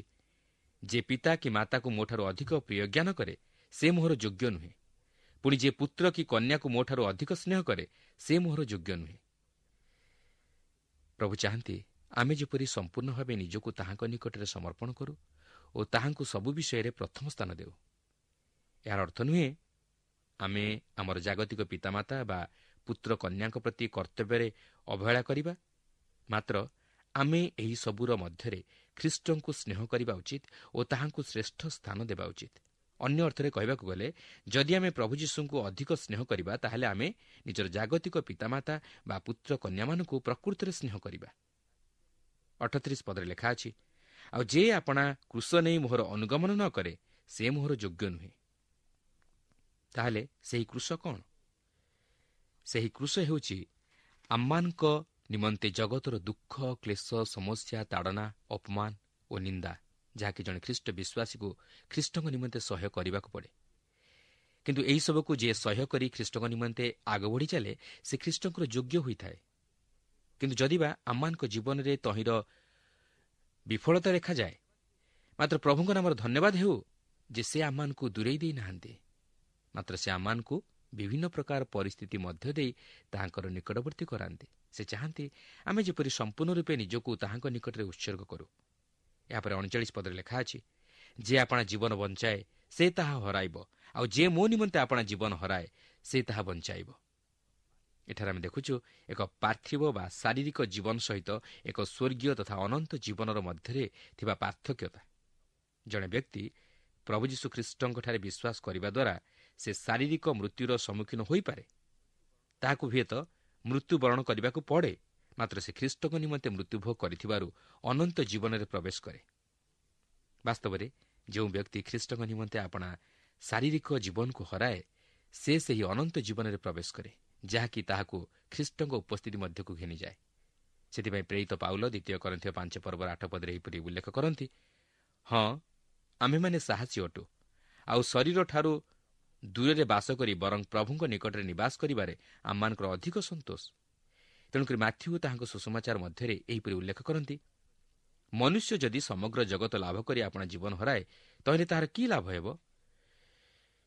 ଯେ ପିତା କି ମାତାକୁ ମୋଠାରୁ ଅଧିକ ପ୍ରିୟଜ୍ଞାନ କରେ ସେ ମୋହର ଯୋଗ୍ୟ ନୁହେଁ, ପୁଣି ଯେ ପୁତ୍ର କି କନ୍ୟାକୁ ମୋଠାରୁ ଅଧିକ ସ୍ନେହ କରେ ସେ ମୋହର ଯୋଗ୍ୟ ନୁହେଁ। ପ୍ରଭୁ ଚାହାନ୍ତି ଆମେ ଯେପରି ସମ୍ପୂର୍ଣ୍ଣ ଭାବେ ନିଜକୁ ତାହାଙ୍କ ନିକଟରେ ସମର୍ପଣ କରୁ ଓ ତାହାଙ୍କୁ ସବୁ ବିଷୟରେ ପ୍ରଥମ ସ୍ଥାନ ଦେଉ। ଏହାର ଅର୍ଥ ନୁହେଁ ଆମେ ଆମର ଜାଗତିକ ପିତାମାତା ବା ପୁତ୍ର କନ୍ୟାଙ୍କ ପ୍ରତି କର୍ତ୍ତବ୍ୟରେ ଅବହେଳା କରିବା, ମାତ୍ର ଆମେ ଏହି ସବୁର ମଧ୍ୟରେ ଖ୍ରୀଷ୍ଟଙ୍କୁ ସ୍ନେହ କରିବା ଉଚିତ ଓ ତାହାଙ୍କୁ ଶ୍ରେଷ୍ଠ ସ୍ଥାନ ଦେବା ଉଚିତ। ଅନ୍ୟ ଅର୍ଥରେ କହିବାକୁ ଗଲେ, ଯଦି ଆମେ ପ୍ରଭୁ ଯୀଶୁଙ୍କୁ ଅଧିକ ସ୍ନେହ କରିବା, ତାହେଲେ ଆମେ ନିଜର ଜାଗତିକ ପିତାମାତା ବା ପୁତ୍ର କନ୍ୟାମାନଙ୍କୁ ପ୍ରକୃତରେ ସ୍ନେହ କରିବା। 38 ପଦରେ ଲେଖା ଅଛି, ଆଉ ଯେ ଆପଣା କ୍ରୁଶ ନେଇ ମୋହର ଅନୁଗମନ ନ କରେ ସେ ମୋହର ଯୋଗ୍ୟ ନୁହେଁ। ତାହେଲେ ସେହି କ୍ରୁଶ କ'ଣ? ସେହି କ୍ରୁଶ ହେଉଛି ଆମମାନଙ୍କ ନିମନ୍ତେ ଜଗତର ଦୁଃଖ, କ୍ଲେଶ, ସମସ୍ୟା, ତାଡ଼ନା, ଅପମାନ ଓ ନିନ୍ଦା, ଯାହାକି ଜଣେ ଖ୍ରୀଷ୍ଟ ବିଶ୍ୱାସୀକୁ ଖ୍ରୀଷ୍ଟଙ୍କ ନିମନ୍ତେ ସହ୍ୟ କରିବାକୁ ପଡ଼େ। କିନ୍ତୁ ଏହିସବୁକୁ ଯିଏ ସହ୍ୟ କରି ଖ୍ରୀଷ୍ଟଙ୍କ ନିମନ୍ତେ ଆଗ ବଢ଼ି ଚାଲେ, ସେ ଖ୍ରୀଷ୍ଟଙ୍କର ଯୋଗ୍ୟ ହୋଇଥାଏ। କିନ୍ତୁ ଯଦିବା ଆମମାନଙ୍କ ଜୀବନରେ ତହିଁର ବିଫଳତା ଦେଖାଯାଏ, ମାତ୍ର ପ୍ରଭୁଙ୍କ ନାମର ଧନ୍ୟବାଦ ହେଉ ଯେ ସେ ଆମମାନଙ୍କୁ ଦୂରେଇ ଦେଇନାହାନ୍ତି, ମାତ୍ର ସେ ଆମମାନଙ୍କୁ ବିଭିନ୍ନ ପ୍ରକାର ପରିସ୍ଥିତି ମଧ୍ୟ ଦେଇ ତାହାଙ୍କର ନିକଟବର୍ତ୍ତୀ କରାନ୍ତି। ସେ ଚାହାନ୍ତି ଆମେ ଯେପରି ସମ୍ପୂର୍ଣ୍ଣ ରୂପେ ନିଜକୁ ତାହାଙ୍କ ନିକଟରେ ଉତ୍ସର୍ଗ କରୁ। ଏହାପରେ 39 ପଦରେ ଲେଖା ଅଛି, ଯେ ଆପଣା ଜୀବନ ବଞ୍ଚାଏ ସେ ତାହା ହରାଇବ, ଆଉ ଯେ ମୋ ନିମନ୍ତେ ଆପଣା ଜୀବନ ହରାଏ ସେ ତାହା ବଞ୍ଚାଇବ। ଏଠାରେ ଆମେ ଦେଖୁଛୁ ଏକ ପାର୍ଥିବ ବା ଶାରୀରିକ ଜୀବନ ସହିତ ଏକ ସ୍ୱର୍ଗୀୟ ତଥା ଅନନ୍ତ ଜୀବନର ମଧ୍ୟରେ ଥିବା ପାର୍ଥକ୍ୟତା। ଜଣେ ବ୍ୟକ୍ତି ପ୍ରଭୁ ଯୀଶୁ ଖ୍ରୀଷ୍ଟଙ୍କଠାରେ ବିଶ୍ୱାସ କରିବା ଦ୍ୱାରା ସେ ଶାରୀରିକ ମୃତ୍ୟୁର ସମ୍ମୁଖୀନ ହୋଇପାରେ, ତାହାକୁ ହୁଏତ ମୃତ୍ୟୁବରଣ କରିବାକୁ ପଡ଼େ, ମାତ୍ର ସେ ଖ୍ରୀଷ୍ଟଙ୍କ ନିମନ୍ତେ ମୃତ୍ୟୁଭୋଗ କରିଥିବାରୁ ଅନନ୍ତ ଜୀବନରେ ପ୍ରବେଶ କରେ। ବାସ୍ତବରେ ଯେଉଁ ବ୍ୟକ୍ତି ଖ୍ରୀଷ୍ଟଙ୍କ ନିମନ୍ତେ ଆପଣା ଶାରୀରିକ ଜୀବନକୁ ହରାଏ, ସେ ସେହି ଅନନ୍ତ ଜୀବନରେ ପ୍ରବେଶ କରେ, ଯାହାକି ତାହାକୁ ଖ୍ରୀଷ୍ଟଙ୍କ ଉପସ୍ଥିତି ମଧ୍ୟକୁ ଘେନିଯାଏ। ସେଥିପାଇଁ ପ୍ରେରିତ ପାଉଲ ଦ୍ୱିତୀୟ କରିନ୍ଥୀୟ 5 ପର୍ବର 8 ପଦରେ ଏହିପରି ଉଲ୍ଲେଖ କରନ୍ତି, ହଁ, ଆମ୍ଭେମାନେ ସାହସୀ ଅଟୁ, ଆଉ ଶରୀରଠାରୁ ଦୂରରେ ବାସ କରି ବରଂ ପ୍ରଭୁଙ୍କ ନିକଟରେ ନିବାସ କରିବାରେ ଆମମାନଙ୍କର ଅଧିକ ସନ୍ତୋଷ। ତେଣୁକରି ମାଥ୍ୟୁ ତାହାଙ୍କ ସୁସମାଚାର ମଧ୍ୟରେ ଏହିପରି ଉଲ୍ଲେଖ କରନ୍ତି, ମନୁଷ୍ୟ ଯଦି ସମଗ୍ର ଜଗତ ଲାଭ କରି ଆପଣା ଜୀବନ ହରାଏ, ତହିଁରେ ତାହାର କି ଲାଭ ହେବ?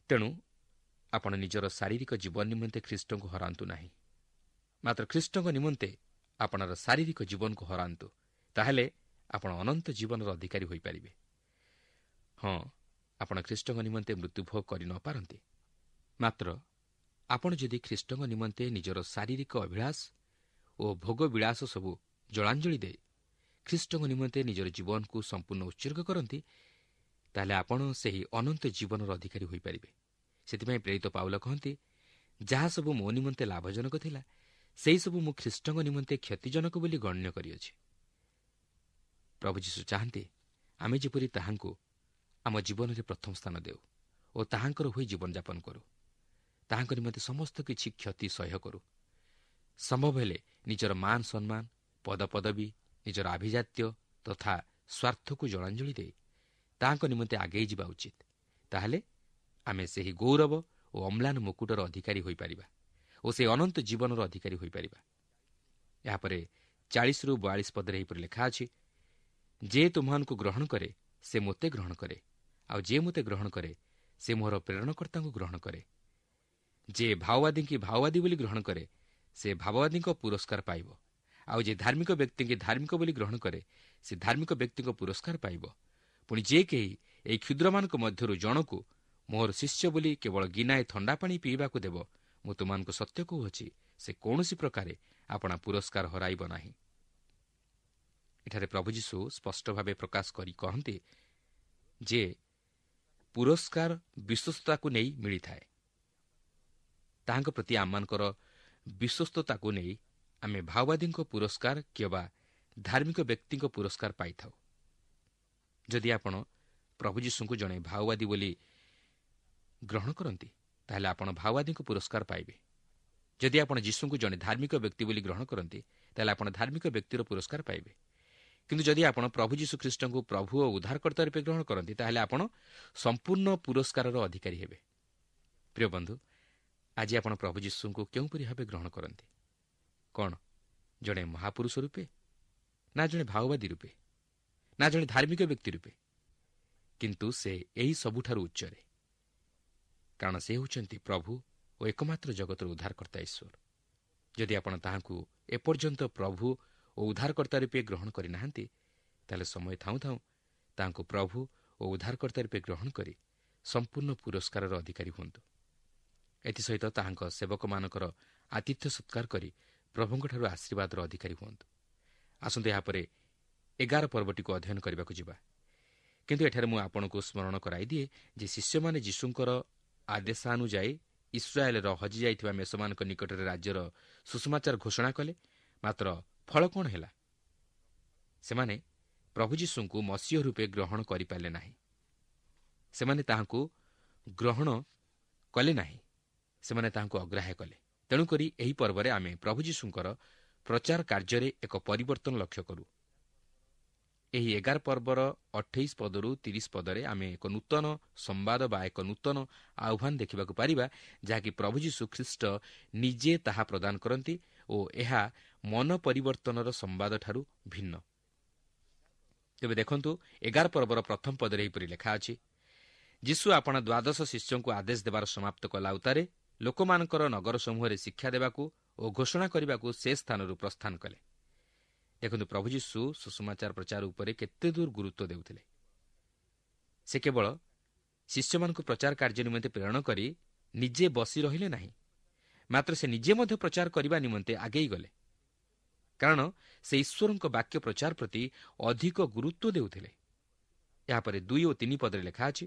ତେଣୁ ଆପଣ ନିଜର ଶାରୀରିକ ଜୀବନ ନିମନ୍ତେ ଖ୍ରୀଷ୍ଟଙ୍କୁ ହରାନ୍ତୁ ନାହିଁ, ମାତ୍ର ଖ୍ରୀଷ୍ଟଙ୍କ ନିମନ୍ତେ ଆପଣର ଶାରୀରିକ ଜୀବନକୁ ହରାନ୍ତୁ, ତାହେଲେ ଆପଣ ଅନନ୍ତ ଜୀବନର ଅଧିକାରୀ ହୋଇପାରିବେ। ହଁ, ଆପଣ ଖ୍ରୀଷ୍ଟଙ୍କ ନିମନ୍ତେ ମୃତ୍ୟୁଭୋଗ କରି ନପାରନ୍ତି, ମାତ୍ର ଆପଣ ଯଦି ଖ୍ରୀଷ୍ଟଙ୍କ ନିମନ୍ତେ ନିଜର ଶାରୀରିକ ଅଭିଳାଷ ଓ ଭୋଗବିଳାସ ସବୁ ଜଳାଞ୍ଜଳି ଦେଇ ଖ୍ରୀଷ୍ଟଙ୍କ ନିମନ୍ତେ ନିଜର ଜୀବନକୁ ସମ୍ପୂର୍ଣ୍ଣ ଉତ୍ସର୍ଗ କରନ୍ତି, ତାହେଲେ ଆପଣ ସେହି ଅନନ୍ତ ଜୀବନର ଅଧିକାରୀ ହୋଇପାରିବେ। ସେଥିପାଇଁ ପ୍ରେରିତ ପାଉଲ କହନ୍ତି, ଯାହା ସବୁ ମୋ ନିମନ୍ତେ ଲାଭଜନକ ଥିଲା, ସେହିସବୁ ମୁଁ ଖ୍ରୀଷ୍ଟଙ୍କ ନିମନ୍ତେ କ୍ଷତିଜନକ ବୋଲି ଗଣ୍ୟ କରିଅଛି। ପ୍ରଭୁ ଯୀଶୁ ଚାହାନ୍ତି ଆମେ ଯେପରି ତାହାଙ୍କୁ ଆମ ଜୀବନରେ ପ୍ରଥମ ସ୍ଥାନ ଦେଉ ଓ ତାହାଙ୍କର ହୋଇ ଜୀବନଯାପନ କରୁ, ତାହାଙ୍କ ନିମନ୍ତେ ସମସ୍ତ କିଛି କ୍ଷତି ସହ୍ୟ କରୁ। ସମ୍ଭବ ହେଲେ ନିଜର ମାନ ସମ୍ମାନ, ପଦପଦବୀ, ନିଜର ଆଭିଜାତ୍ୟ ତଥା ସ୍ୱାର୍ଥକୁ ଜଳାଞ୍ଜଳି ଦେଇ ତାହାଙ୍କ ନିମନ୍ତେ ଆଗେଇ ଯିବା ଉଚିତ। ତାହେଲେ ଆମେ ସେହି ଗୌରବ ଓ ଅମ୍ଳାନ ମୁକୁଟର ଅଧିକାରୀ ହୋଇପାରିବା ଓ ସେହି ଅନନ୍ତ ଜୀବନର ଅଧିକାରୀ ହୋଇପାରିବା। ଏହାପରେ 40ରୁ 42 ପଦରେ ଏହିପରି ଲେଖା ଅଛି, ଯେ ତୁମ୍ଭମାନଙ୍କୁ ଗ୍ରହଣ କରେ ସେ ମୋତେ ଗ୍ରହଣ କରେ, ଆଉ ଯେ ମୋତେ ଗ୍ରହଣ କରେ ସେ ମୋହର ପ୍ରେରଣକର୍ତ୍ତାଙ୍କୁ ଗ୍ରହଣ କରେ। ଯେ ଭାଓବାଦୀଙ୍କୁ ଭାଓବାଦୀ ବୋଲି ଗ୍ରହଣ କରେ ସେ ଭାବବାଦୀଙ୍କ ପୁରସ୍କାର ପାଇବ, ଆଉ ଯେ ଧାର୍ମିକ ବ୍ୟକ୍ତିଙ୍କୁ ଧାର୍ମିକ ବୋଲି ଗ୍ରହଣ କରେ ସେ ଧାର୍ମିକ ବ୍ୟକ୍ତିଙ୍କ ପୁରସ୍କାର ପାଇବ। ପୁଣି ଯେ କେହି ଏହି କ୍ଷୁଦ୍ରମାନଙ୍କ ମଧ୍ୟରୁ ଜଣକୁ ମୋହର ଶିଷ୍ୟ ବୋଲି କେବଳ ଗିନାଏ ଥଣ୍ଡା ପାଣି ପିଇବାକୁ ଦେବ, ମୁଁ ତୁମମାନଙ୍କୁ ସତ୍ୟ କହୁଅଛି, ସେ କୌଣସି ପ୍ରକାରେ ଆପଣା ପୁରସ୍କାର ହରାଇବ ନାହିଁ। ଏଠାରେ ପ୍ରଭୁ ଯୀଶୁ ସ୍ପଷ୍ଟ ଭାବେ ପ୍ରକାଶ କରି କହନ୍ତି ଯେ ପୁରସ୍କାର ବିଶ୍ୱସ୍ତତାକୁ ନେଇ ମିଳିଥାଏ। ତାହାଙ୍କ ପ୍ରତି ଆମମାନଙ୍କର ବିଶ୍ୱସ୍ତତାକୁ ନେଇ ଆମେ ଭାଓବାଦୀଙ୍କ ପୁରସ୍କାର କିମ୍ବା ଧାର୍ମିକ ବ୍ୟକ୍ତିଙ୍କ ପୁରସ୍କାର ପାଇଥାଉ। ଯଦି ଆପଣ ପ୍ରଭୁ ଯୀଶୁଙ୍କୁ ଜଣେ ଭାଓବାଦୀ ବୋଲି ଗ୍ରହଣ କରନ୍ତି, ତାହେଲେ ଆପଣ ଭାଓବାଦୀଙ୍କ ପୁରସ୍କାର ପାଇବେ। ଯଦି ଆପଣ ଯୀଶୁଙ୍କୁ ଜଣେ ଧାର୍ମିକ ବ୍ୟକ୍ତି ବୋଲି ଗ୍ରହଣ କରନ୍ତି, ତାହେଲେ ଆପଣ ଧାର୍ମିକ ବ୍ୟକ୍ତିର ପୁରସ୍କାର ପାଇବେ। କିନ୍ତୁ ଯଦି ଆପଣ ପ୍ରଭୁ ଯୀଶୁ ଖ୍ରୀଷ୍ଟଙ୍କୁ ପ୍ରଭୁ ଓ ଉଦ୍ଧାରକର୍ତ୍ତା ରୂପେ ଗ୍ରହଣ କରନ୍ତି, ତାହେଲେ ଆପଣ ସମ୍ପୂର୍ଣ୍ଣ ପୁରସ୍କାରର ଅଧିକାରୀ ହେବେ। ପ୍ରିୟ ବନ୍ଧୁ, ଆଜି ଆପଣ ପ୍ରଭୁ ଯୀଶୁଙ୍କୁ କେଉଁପରି ଭାବେ ଗ୍ରହଣ କରନ୍ତି? କ'ଣ ଜଣେ ମହାପୁରୁଷ ରୂପେ, ନା ଜଣେ ଭାଓବାଦୀ ରୂପେ, ନା ଜଣେ ଧାର୍ମିକ ବ୍ୟକ୍ତି ରୂପେ? କିନ୍ତୁ ସେ ଏହି ସବୁଠାରୁ ଉଚ୍ଚରେ, କାରଣ ସେ ହେଉଛନ୍ତି ପ୍ରଭୁ ଓ ଏକମାତ୍ର ଜଗତର ଉଦ୍ଧାରକର୍ତ୍ତା ଈଶ୍ୱର। ଯଦି ଆପଣ ତାହାଙ୍କୁ ଏପର୍ଯ୍ୟନ୍ତ ପ୍ରଭୁ ଓ ଉଦ୍ଧାରକର୍ତ୍ତା ରୂପେ ଗ୍ରହଣ କରିନାହାନ୍ତି, ତାହେଲେ ସମୟ ଥାଉଁ ଥାଉଁ ତାହାଙ୍କୁ ପ୍ରଭୁ ଓ ଉଦ୍ଧାରକର୍ତ୍ତା ରୂପେ ଗ୍ରହଣ କରି ସମ୍ପୂର୍ଣ୍ଣ ପୁରସ୍କାରର ଅଧିକାରୀ ହୁଅନ୍ତୁ। ଏଥିସହିତ ତାହାଙ୍କ ସେବକମାନଙ୍କର ଆତିଥ୍ୟ ସତ୍କାର କରି ପ୍ରଭୁଙ୍କଠାରୁ ଆଶୀର୍ବାଦର ଅଧିକାରୀ ହୁଅନ୍ତୁ। ଆସନ୍ତୁ ଏହାପରେ 11 ପର୍ବଟିକୁ ଅଧ୍ୟୟନ କରିବାକୁ ଯିବା। କିନ୍ତୁ ଏଠାରେ ମୁଁ ଆପଣଙ୍କୁ ସ୍ମରଣ କରାଇଦିଏ ଯେ ଶିଷ୍ୟମାନେ ଯୀଶୁଙ୍କର ଆଦେଶାନୁଯାୟୀ ଇସ୍ରାଏଲର ହଜିଯାଇଥିବା ମେଷମାନଙ୍କ ନିକଟରେ ରାଜ୍ୟର ସୁସମାଚାର ଘୋଷଣା କଲେ। ମାତ୍ର ଫଳ କ'ଣ ହେଲା? ସେମାନେ ପ୍ରଭୁ ଯୀଶୁଙ୍କୁ ମସିହ ରୂପେ ଗ୍ରହଣ କରିପାରିଲେ ନାହିଁ। ସେମାନେ ତାହାଙ୍କୁ ଗ୍ରହଣ କଲେ ନାହିଁ, ସେମାନେ ତାହାଙ୍କୁ ଅଗ୍ରାହ୍ୟ କଲେ। ତେଣୁକରି ଏହି ପର୍ବରେ ଆମେ ପ୍ରଭୁ ଯୀଶୁଙ୍କର ପ୍ରଚାର କାର୍ଯ୍ୟରେ ଏକ ପରିବର୍ତ୍ତନ ଲକ୍ଷ୍ୟ କରୁ। ଏହି 11 ପର୍ବର 28 ପଦରୁ 30 ପଦରେ ଆମେ ଏକ ନୂତନ ସମ୍ବାଦ ବା ଏକ ନୂତନ ଆହ୍ୱାନ ଦେଖିବାକୁ ପାରିବା, ଯାହାକି ପ୍ରଭୁ ଯୀଶୁ ଖ୍ରୀଷ୍ଟ ନିଜେ ତାହା ପ୍ରଦାନ କରନ୍ତି ଓ ଏହା ମନ ପରିବର୍ତ୍ତନର ସମ୍ବାଦଠାରୁ ଭିନ୍ନ। ତେବେ ଦେଖନ୍ତୁ, 11 ପର୍ବର ପ୍ରଥମ ପଦରେ ଏହିପରି ଲେଖା ଅଛି, ଯୀଶୁ ଆପଣା ଦ୍ୱାଦଶ ଶିଷ୍ୟଙ୍କୁ ଆଦେଶ ଦେବାର ସମାପ୍ତ କଲା ଉତ୍ତାରେ ଲୋକମାନଙ୍କର ନଗର ସମୂହରେ ଶିକ୍ଷା ଦେବାକୁ ଓ ଘୋଷଣା କରିବାକୁ ସେ ସ୍ଥାନରୁ ପ୍ରସ୍ଥାନ କଲେ। ଦେଖନ୍ତୁ, ପ୍ରଭୁ ଯୀଶୁ ସୁସମାଚାର ପ୍ରଚାର ଉପରେ କେତେ ଦୂର ଗୁରୁତ୍ୱ ଦେଉଥିଲେ। ସେ କେବଳ ଶିଷ୍ୟମାନଙ୍କୁ ପ୍ରଚାର କାର୍ଯ୍ୟ ନିମନ୍ତେ ପ୍ରେରଣ କରି ନିଜେ ବସି ରହିଲେ ନାହିଁ, ମାତ୍ର ସେ ନିଜେ ମଧ୍ୟ ପ୍ରଚାର କରିବା ନିମନ୍ତେ ଆଗେଇ ଗଲେ, କାରଣ ସେ ଈଶ୍ୱରଙ୍କ ବାକ୍ୟ ପ୍ରଚାର ପ୍ରତି ଅଧିକ ଗୁରୁତ୍ୱ ଦେଉଥିଲେ। ଏହାପରେ 2 ଓ 3 ପଦରେ ଲେଖା ଅଛି,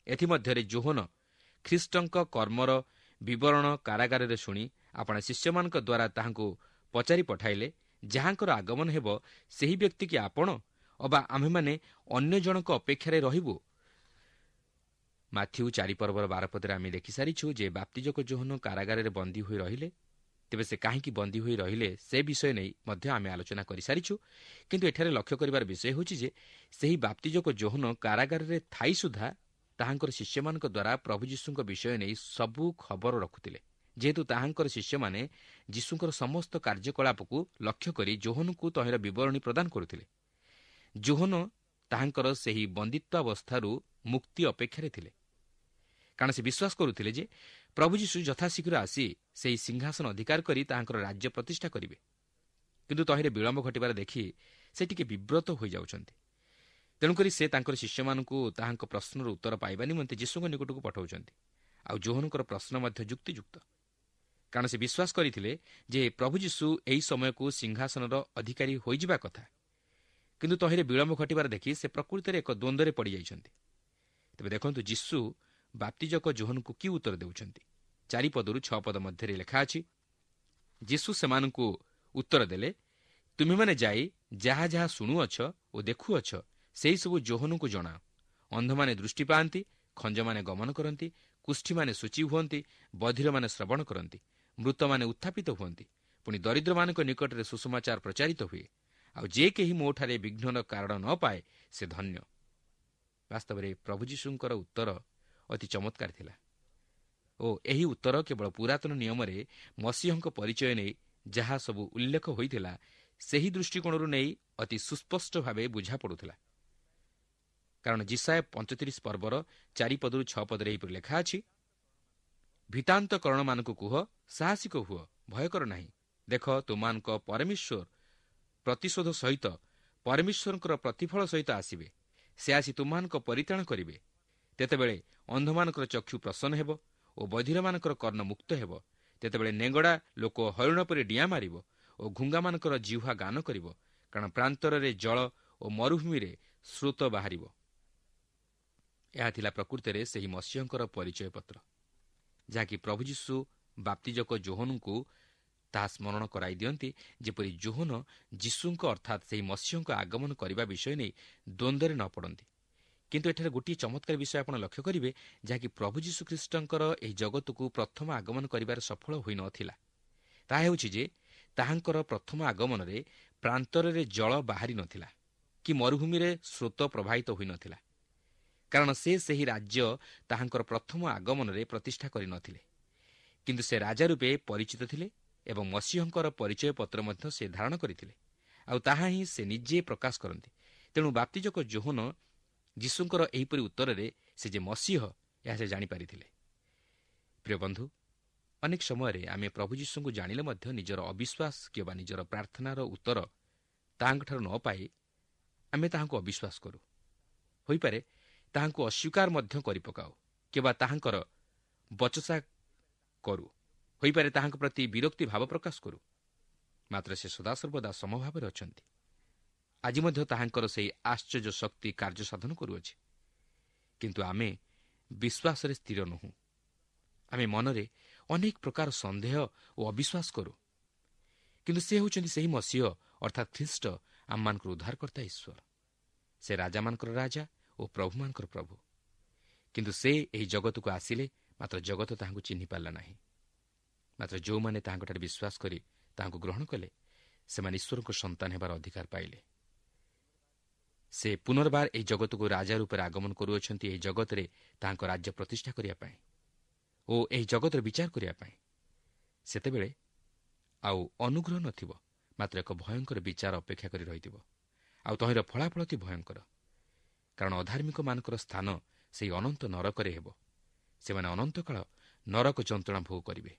ଏଥିମଧ୍ୟରେ ଯୋହନ ଖ୍ରୀଷ୍ଟଙ୍କ କର୍ମର ବିବରଣ କାରାଗାରରେ ଶୁଣି ଆପଣା ଶିଷ୍ୟମାନଙ୍କ ଦ୍ୱାରା ତାହାଙ୍କୁ ପଚାରି ପଠାଇଲେ, ଯାହାଙ୍କର ଆଗମନ ହେବ ସେହି ବ୍ୟକ୍ତି କି ଆପଣ, ଅବା ଆମ୍ଭେମାନେ ଅନ୍ୟ ଜଣଙ୍କ ଅପେକ୍ଷାରେ ରହିବୁ? ମାଥିଉ 4 ପର୍ବର 12 ପଦରେ ଆମେ ଦେଖିସାରିଛୁ ଯେ ବାପ୍ତିଜକ ଯୋହନ କାରାଗାରରେ ବନ୍ଦୀ ହୋଇ ରହିଲେ। ତେବେ ସେ କାହିଁକି ବନ୍ଦୀ ହୋଇ ରହିଲେ ସେ ବିଷୟ ନେଇ ମଧ୍ୟ ଆମେ ଆଲୋଚନା କରିସାରିଛୁ। କିନ୍ତୁ ଏଠାରେ ଲକ୍ଷ୍ୟ କରିବାର ବିଷୟ ହେଉଛି ଯେ ସେହି ବାପ୍ତିଜକ ଯୋହନ କାରାଗାରରେ ଥାଇ ସୁଦ୍ଧା ତାହାଙ୍କର ଶିଷ୍ୟମାନଙ୍କ ଦ୍ୱାରା ପ୍ରଭୁ ଯୀଶୁଙ୍କ ବିଷୟ ନେଇ ସବୁ ଖବର ରଖୁଥିଲେ। ଯେହେତୁ ତାହାଙ୍କର ଶିଷ୍ୟମାନେ ଯୀଶୁଙ୍କର ସମସ୍ତ କାର୍ଯ୍ୟକଳାପକୁ ଲକ୍ଷ୍ୟ କରି ଯୋହନଙ୍କୁ ତହିଁର ବିବରଣୀ ପ୍ରଦାନ କରୁଥିଲେ, ଯୋହନ ତାହାଙ୍କର ସେହି ବନ୍ଦିତ୍ୱାବସ୍ଥାରୁ ମୁକ୍ତି ଅପେକ୍ଷାରେ ଥିଲେ, କାରଣ ସେ ବିଶ୍ୱାସ କରୁଥିଲେ ଯେ ପ୍ରଭୁ ଯୀଶୁ ଯଥାଶୀଘ୍ର ଆସି ସେହି ସିଂହାସନ ଅଧିକାର କରି ତାହାଙ୍କର ରାଜ୍ୟ ପ୍ରତିଷ୍ଠା କରିବେ। କିନ୍ତୁ ତହିଁରେ ବିଳମ୍ବ ଘଟିବାର ଦେଖି ସେ ଟିକେ ବିବ୍ରତ ହୋଇଯାଉଛନ୍ତି। ତେଣୁକରି ସେ ତାଙ୍କର ଶିଷ୍ୟମାନଙ୍କୁ ତାହାଙ୍କ ପ୍ରଶ୍ନର ଉତ୍ତର ପାଇବା ନିମନ୍ତେ ଯୀଶୁଙ୍କ ନିକଟକୁ ପଠାଉଛନ୍ତି। ଆଉ ଯୋହନଙ୍କର ପ୍ରଶ୍ନ ମଧ୍ୟ ଯୁକ୍ତିଯୁକ୍ତ, କାରଣ ସେ ବିଶ୍ୱାସ କରିଥିଲେ ଯେ ପ୍ରଭୁ ଯୀଶୁ ଏହି ସମୟକୁ ସିଂହାସନର ଅଧିକାରୀ ହୋଇଯିବା କଥା। କିନ୍ତୁ ତହିଁରେ ବିଳମ୍ବ ଘଟିବାର ଦେଖି ସେ ପ୍ରକୃତରେ ଏକ ଦ୍ୱନ୍ଦ୍ୱରେ ପଡ଼ିଯାଇଛନ୍ତି। ତେବେ ଦେଖନ୍ତୁ, ଯୀଶୁ ବାପ୍ତିଜକ ଯୋହନଙ୍କୁ କି ଉତ୍ତର ଦେଉଛନ୍ତି। 4 ପଦରୁ 6 ପଦ ମଧ୍ୟରେ ଲେଖା ଅଛି, ଯୀଶୁ ସେମାନଙ୍କୁ ଉତ୍ତର ଦେଲେ, ତୁମେମାନେ ଯାଇ ଯାହା ଯାହା ଶୁଣୁଅଛ ଓ ଦେଖୁଅଛ ସେହିସବୁ ଯୋହନଙ୍କୁ ଜଣାଅ। ଅନ୍ଧମାନେ ଦୃଷ୍ଟି ପାଆନ୍ତି, ଖଞ୍ଜମାନେ ଗମନ କରନ୍ତି, କୁଷ୍ଠୀମାନେ ଶୁଚି ହୁଅନ୍ତି, ବଧିରମାନେ ଶ୍ରବଣ କରନ୍ତି, ମୃତମାନେ ଉତ୍ଥାପିତ ହୁଅନ୍ତି, ପୁଣି ଦରିଦ୍ରମାନଙ୍କ ନିକଟରେ ସୁସମାଚାର ପ୍ରଚାରିତ ହୁଏ। ଆଉ ଯେ କେହି ମୋଠାରେ ବିଘ୍ନର କାରଣ ନ ପାଏ ସେ ଧନ୍ୟ। ବାସ୍ତବରେ ପ୍ରଭୁ ଯୀଶୁଙ୍କର ଉତ୍ତର ଅତି ଚମତ୍କାର ଥିଲା ଓ ଏହି ଉତ୍ତର କେବଳ ପୁରାତନ ନିୟମରେ ମସିହଙ୍କ ପରିଚୟ ନେଇ ଯାହା ସବୁ ଉଲ୍ଲେଖ ହୋଇଥିଲା ସେହି ଦୃଷ୍ଟିକୋଣରୁ ନେଇ ଅତି ସୁସ୍ପଷ୍ଟ ଭାବେ ବୁଝାପଡ଼ୁଥିଲା। କାରଣ ଯିଶାଇୟ 35 ପର୍ବର 4 ପଦରୁ 6 ପଦରେ ଏହିପରି ଲେଖା ଅଛି, ଭିତାନ୍ତକରଣମାନଙ୍କୁ କୁହ, ସାହସିକ ହୁଅ, ଭୟ କର ନାହିଁ। ଦେଖ, ତୁମମାନଙ୍କ ପରମେଶ୍ୱର ପ୍ରତିଶୋଧ ସହିତ, ପରମେଶ୍ୱରଙ୍କର ପ୍ରତିଫଳ ସହିତ ଆସିବେ। ସେ ଆସି ତୁମମାନଙ୍କ ପରିତ୍ରାଣ କରିବେ। ତେତେବେଳେ ଅନ୍ଧମାନଙ୍କର ଚକ୍ଷୁ ପ୍ରସନ୍ନ ହେବ ଓ ବଧିରମାନଙ୍କର କର୍ଣ୍ଣ ମୁକ୍ତ ହେବ। ତେତେବେଳେ ନେଙ୍ଗଡ଼ା ଲୋକ ହରିଣ ପରି ଡିଆଁ ମାରିବ ଓ ଘୁଙ୍ଗାମାନଙ୍କର ଜିହ୍ୱା ଗାନ କରିବ, କାରଣ ପ୍ରାନ୍ତରରେ ଜଳ ଓ ମରୁଭୂମିରେ ସ୍ରୋତ ବାହାରିବ। ଏହା ଥିଲା ପ୍ରକୃତରେ ସେହି ମସିହଙ୍କର ପରିଚୟ ପତ୍ର, ଯାହାକି ପ୍ରଭୁ ଯୀଶୁ ବାପ୍ତିଜକ ଯୋହନଙ୍କୁ ତାହା ସ୍ମରଣ କରାଇ ଦିଅନ୍ତି, ଯେପରି ଯୋହନ ଯୀଶୁଙ୍କ ଅର୍ଥାତ୍ ସେହି ମସିହଙ୍କ ଆଗମନ କରିବା ବିଷୟ ନେଇ ଦ୍ୱନ୍ଦ୍ୱରେ ନ ପଡ଼ନ୍ତି। କିନ୍ତୁ ଏଠାରେ ଗୋଟିଏ ଚମତ୍କାର ବିଷୟ ଆପଣ ଲକ୍ଷ୍ୟ କରିବେ, ଯାହାକି ପ୍ରଭୁ ଯୀଶୁଖ୍ରୀଷ୍ଟଙ୍କର ଏହି ଜଗତକୁ ପ୍ରଥମ ଆଗମନ କରିବାରେ ସଫଳ ହୋଇନଥିଲା। ତାହା ହେଉଛି ଯେ ତାହାଙ୍କର ପ୍ରଥମ ଆଗମନରେ ପ୍ରାନ୍ତରରେ ଜଳ ବାହାରି ନଥିଲା କି ମରୁଭୂମିରେ ସ୍ରୋତ ପ୍ରବାହିତ ହୋଇନଥିଲା, କାରଣ ସେ ସେହି ରାଜ୍ୟ ତାହାଙ୍କର ପ୍ରଥମ ଆଗମନରେ ପ୍ରତିଷ୍ଠା କରିନଥିଲେ। କିନ୍ତୁ ସେ ରାଜା ରୂପେ ପରିଚିତ ଥିଲେ ଏବଂ ମସିହଙ୍କର ପରିଚୟ ପତ୍ର ମଧ୍ୟ ସେ ଧାରଣ କରିଥିଲେ, ଆଉ ତାହା ହିଁ ସେ ନିଜେ ପ୍ରକାଶ କରନ୍ତି। ତେଣୁ ବାପ୍ତିଜକ ଯୋହନ ଯୀଶୁଙ୍କର ଏହିପରି ଉତ୍ତରରେ ସେ ଯେ ମସିହ ଏହା ସେ ଜାଣିପାରିଥିଲେ। ପ୍ରିୟ ବନ୍ଧୁ, ଅନେକ ସମୟରେ ଆମେ ପ୍ରଭୁ ଯୀଶୁଙ୍କୁ ଜାଣିଲେ ମଧ୍ୟ ନିଜର ଅବିଶ୍ୱାସ କିମ୍ବା ନିଜର ପ୍ରାର୍ଥନାର ଉତ୍ତର ତାହାଙ୍କଠାରୁ ନ ପାଇ ଆମେ ତାହାଙ୍କୁ ଅବିଶ୍ୱାସ କରୁ। ହୋଇପାରେ ତାହାଙ୍କୁ ଅସ୍ୱୀକାର ମଧ୍ୟ କରିପକାଉ କିମ୍ବା ତାହାଙ୍କର ବଚସା କରୁ, ହୋଇପାରେ ତାହାଙ୍କ ପ୍ରତି ବିରକ୍ତି ଭାବ ପ୍ରକାଶ କରୁ। ମାତ୍ର ସେ ସଦାସର୍ବଦା ସମଭାବରେ ଅଛନ୍ତି। ଆଜି ମଧ୍ୟ ତାହାଙ୍କର ସେହି ଆଶ୍ଚର୍ଯ୍ୟ ଶକ୍ତି କାର୍ଯ୍ୟ ସାଧନ କରୁଅଛି, କିନ୍ତୁ ଆମେ ବିଶ୍ୱାସରେ ସ୍ଥିର ନୋହୁଁ। ଆମେ ମନରେ ଅନେକ ପ୍ରକାର ସନ୍ଦେହ ଓ ଅବିଶ୍ୱାସ କରୁ। କିନ୍ତୁ ସେ ହେଉଛନ୍ତି ସେହି ମସିହ, ଅର୍ଥାତ୍ ଖ୍ରୀଷ୍ଟ, ଆମମାନଙ୍କର ଉଦ୍ଧାରକର୍ତ୍ତା ଈଶ୍ୱର। ସେ ରାଜାମାନଙ୍କର ରାଜା ଓ ପ୍ରଭୁମାନଙ୍କର ପ୍ରଭୁ। କିନ୍ତୁ ସେ ଏହି ଜଗତକୁ ଆସିଲେ, ମାତ୍ର ଜଗତ ତାହାଙ୍କୁ ଚିହ୍ନି ପାରିଲା ନାହିଁ। ମାତ୍ର ଯେଉଁମାନେ ତାହାଙ୍କଠାରେ ବିଶ୍ୱାସ କରି ତାହାଙ୍କୁ ଗ୍ରହଣ କଲେ, ସେମାନେ ଈଶ୍ୱରଙ୍କ ସନ୍ତାନ ହେବାର ଅଧିକାର ପାଇଲେ। ସେ ପୁନର୍ବାର ଏହି ଜଗତକୁ ରାଜା ରୂପରେ ଆଗମନ କରୁଅଛନ୍ତି, ଏହି ଜଗତରେ ତାହାଙ୍କ ରାଜ୍ୟ ପ୍ରତିଷ୍ଠା କରିବା ପାଇଁ ଓ ଏହି ଜଗତର ବିଚାର କରିବା ପାଇଁ। ସେତେବେଳେ ଆଉ ଅନୁଗ୍ରହ ନଥିବ, ମାତ୍ର ଏକ ଭୟଙ୍କର ବିଚାର ଅପେକ୍ଷା କରି ରହିଥିବ, ଆଉ ତହିଁର ଫଳାଫଳ ଅତି ଭୟଙ୍କର। କାରଣ ଅଧାର୍ମିକମାନଙ୍କର ସ୍ଥାନ ସେହି ଅନନ୍ତ ନରକରେ ହେବ। ସେମାନେ ଅନନ୍ତକାଳ ନରକ ଯନ୍ତ୍ରଣା ଭୋଗ କରିବେ।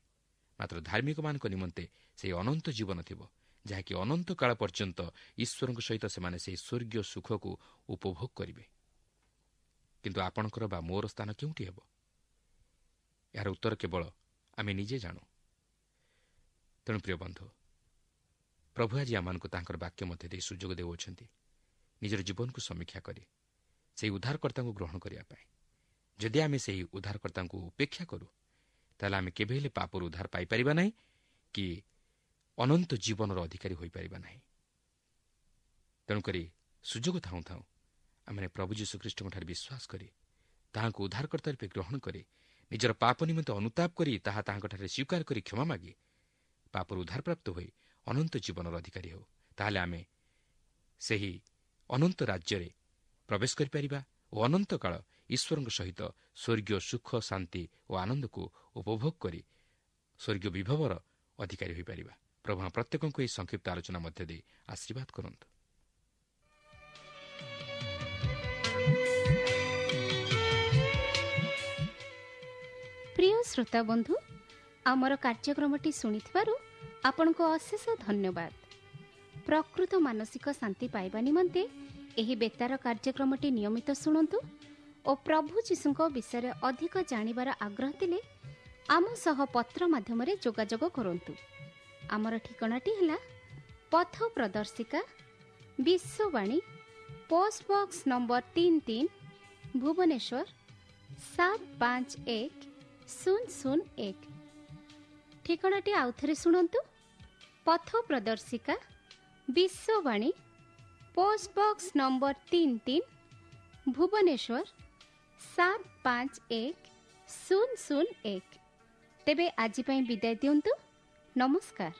ମାତ୍ର ଧାର୍ମିକମାନଙ୍କ ନିମନ୍ତେ ସେହି ଅନନ୍ତ ଜୀବନ ଥିବ, ଯାହାକି ଅନନ୍ତ କାଳ ପର୍ଯ୍ୟନ୍ତ ଈଶ୍ୱରଙ୍କ ସହିତ ସେମାନେ ସେହି ସ୍ୱର୍ଗୀୟ ସୁଖକୁ ଉପଭୋଗ କରିବେ। କିନ୍ତୁ ଆପଣଙ୍କର ବା ମୋର ସ୍ଥାନ କେଉଁଠି ହେବ? ଏହାର ଉତ୍ତର କେବଳ ଆମେ ନିଜେ ଜାଣୁ। ତେଣୁ ପ୍ରିୟ ବନ୍ଧୁ, ପ୍ରଭୁ ଆଜି ଆମମାନଙ୍କୁ ତାଙ୍କର ବାକ୍ୟ ମଧ୍ୟ ଦେଇ ସୁଯୋଗ ଦେଉଅଛନ୍ତି ନିଜର ଜୀବନକୁ ସମୀକ୍ଷା କରି ସେହି ଉଦ୍ଧାରକର୍ତ୍ତାଙ୍କୁ ଗ୍ରହଣ କରିବା ପାଇଁ। ଯଦି ଆମେ ସେହି ଉଦ୍ଧାରକର୍ତ୍ତାଙ୍କୁ ଉପେକ୍ଷା କରୁ, ତାହେଲେ ଆମେ କେବେ ହେଲେ ପାପରୁ ଉଦ୍ଧାର ପାଇପାରିବା ନାହିଁ କି ଅନନ୍ତ ଜୀବନର ଅଧିକାରୀ ହୋଇପାରିବା ନାହିଁ। ତେଣୁକରି ସୁଯୋଗ ଥାଉଁ ଥାଉଁ ଆମେ ପ୍ରଭୁ ଯୀଶୁଖ୍ରୀଷ୍ଟଙ୍କଠାରେ ବିଶ୍ୱାସ କରି ତାହାଙ୍କୁ ଉଦ୍ଧାରକର୍ତ୍ତା ରୂପେ ଗ୍ରହଣ କରି ନିଜର ପାପ ନିମନ୍ତେ ଅନୁତାପ କରି ତାହା ତାହାଙ୍କଠାରେ ସ୍ୱୀକାର କରି କ୍ଷମା ମାଗି ପାପରୁ ଉଦ୍ଧାରପ୍ରାପ୍ତ ହୋଇ ଅନନ୍ତ ଜୀବନର ଅଧିକାରୀ ହେଉ। ତାହେଲେ ଆମେ ସେହି ଅନନ୍ତ ରାଜ୍ୟରେ ପ୍ରବେଶ କରିପାରିବା ଓ ଅନନ୍ତକାଳ ଈଶ୍ୱରଙ୍କ ସହିତ ସ୍ୱର୍ଗୀୟ ସୁଖ, ଶାନ୍ତି ଓ ଆନନ୍ଦକୁ ଉପଭୋଗ କରି ସ୍ୱର୍ଗୀୟ ବିଭବର ଅଧିକାରୀ ହୋଇପାରିବା। ପ୍ରଭୁ ପ୍ରତ୍ୟେକଙ୍କୁ ଏହି ସଂକ୍ଷିପ୍ତ ଆଲୋଚନା ମଧ୍ୟ ଦେଇ ଆଶୀର୍ବାଦ କରନ୍ତୁ। ପ୍ରିୟ ଶ୍ରୋତା ବନ୍ଧୁ, ଆମର କାର୍ଯ୍ୟକ୍ରମଟି ଶୁଣିଥିବାରୁ ଆପଣଙ୍କୁ ଅଶେଷ ଧନ୍ୟବାଦ। ପ୍ରକୃତ ମାନସିକ ଶାନ୍ତି ପାଇବା ନିମନ୍ତେ ଏହି ବେତାର କାର୍ଯ୍ୟକ୍ରମଟି ନିୟମିତ ଶୁଣନ୍ତୁ ଓ ପ୍ରଭୁ ଯୀଶୁଙ୍କ ବିଷୟରେ ଅଧିକ ଜାଣିବାର ଆଗ୍ରହ ଥିଲେ ଆମ ସହ ପତ୍ର ମାଧ୍ୟମରେ ଯୋଗାଯୋଗ କରନ୍ତୁ। ଆମର ଠିକଣାଟି ହେଲା ପଥ ପ୍ରଦର୍ଶିକା, Vishwavani, post box number 33, Bhubaneswar 751001। ଠିକଣାଟି ଆଉଥରେ ଶୁଣନ୍ତୁ: ପଥ ପ୍ରଦର୍ଶିକା, Vishwavani, post box number 33, Bhubaneswar 751001। ତେବେ ଆଜି ପାଇଁ ବିଦାୟ ଦିଅନ୍ତୁ। ନମସ୍କାର।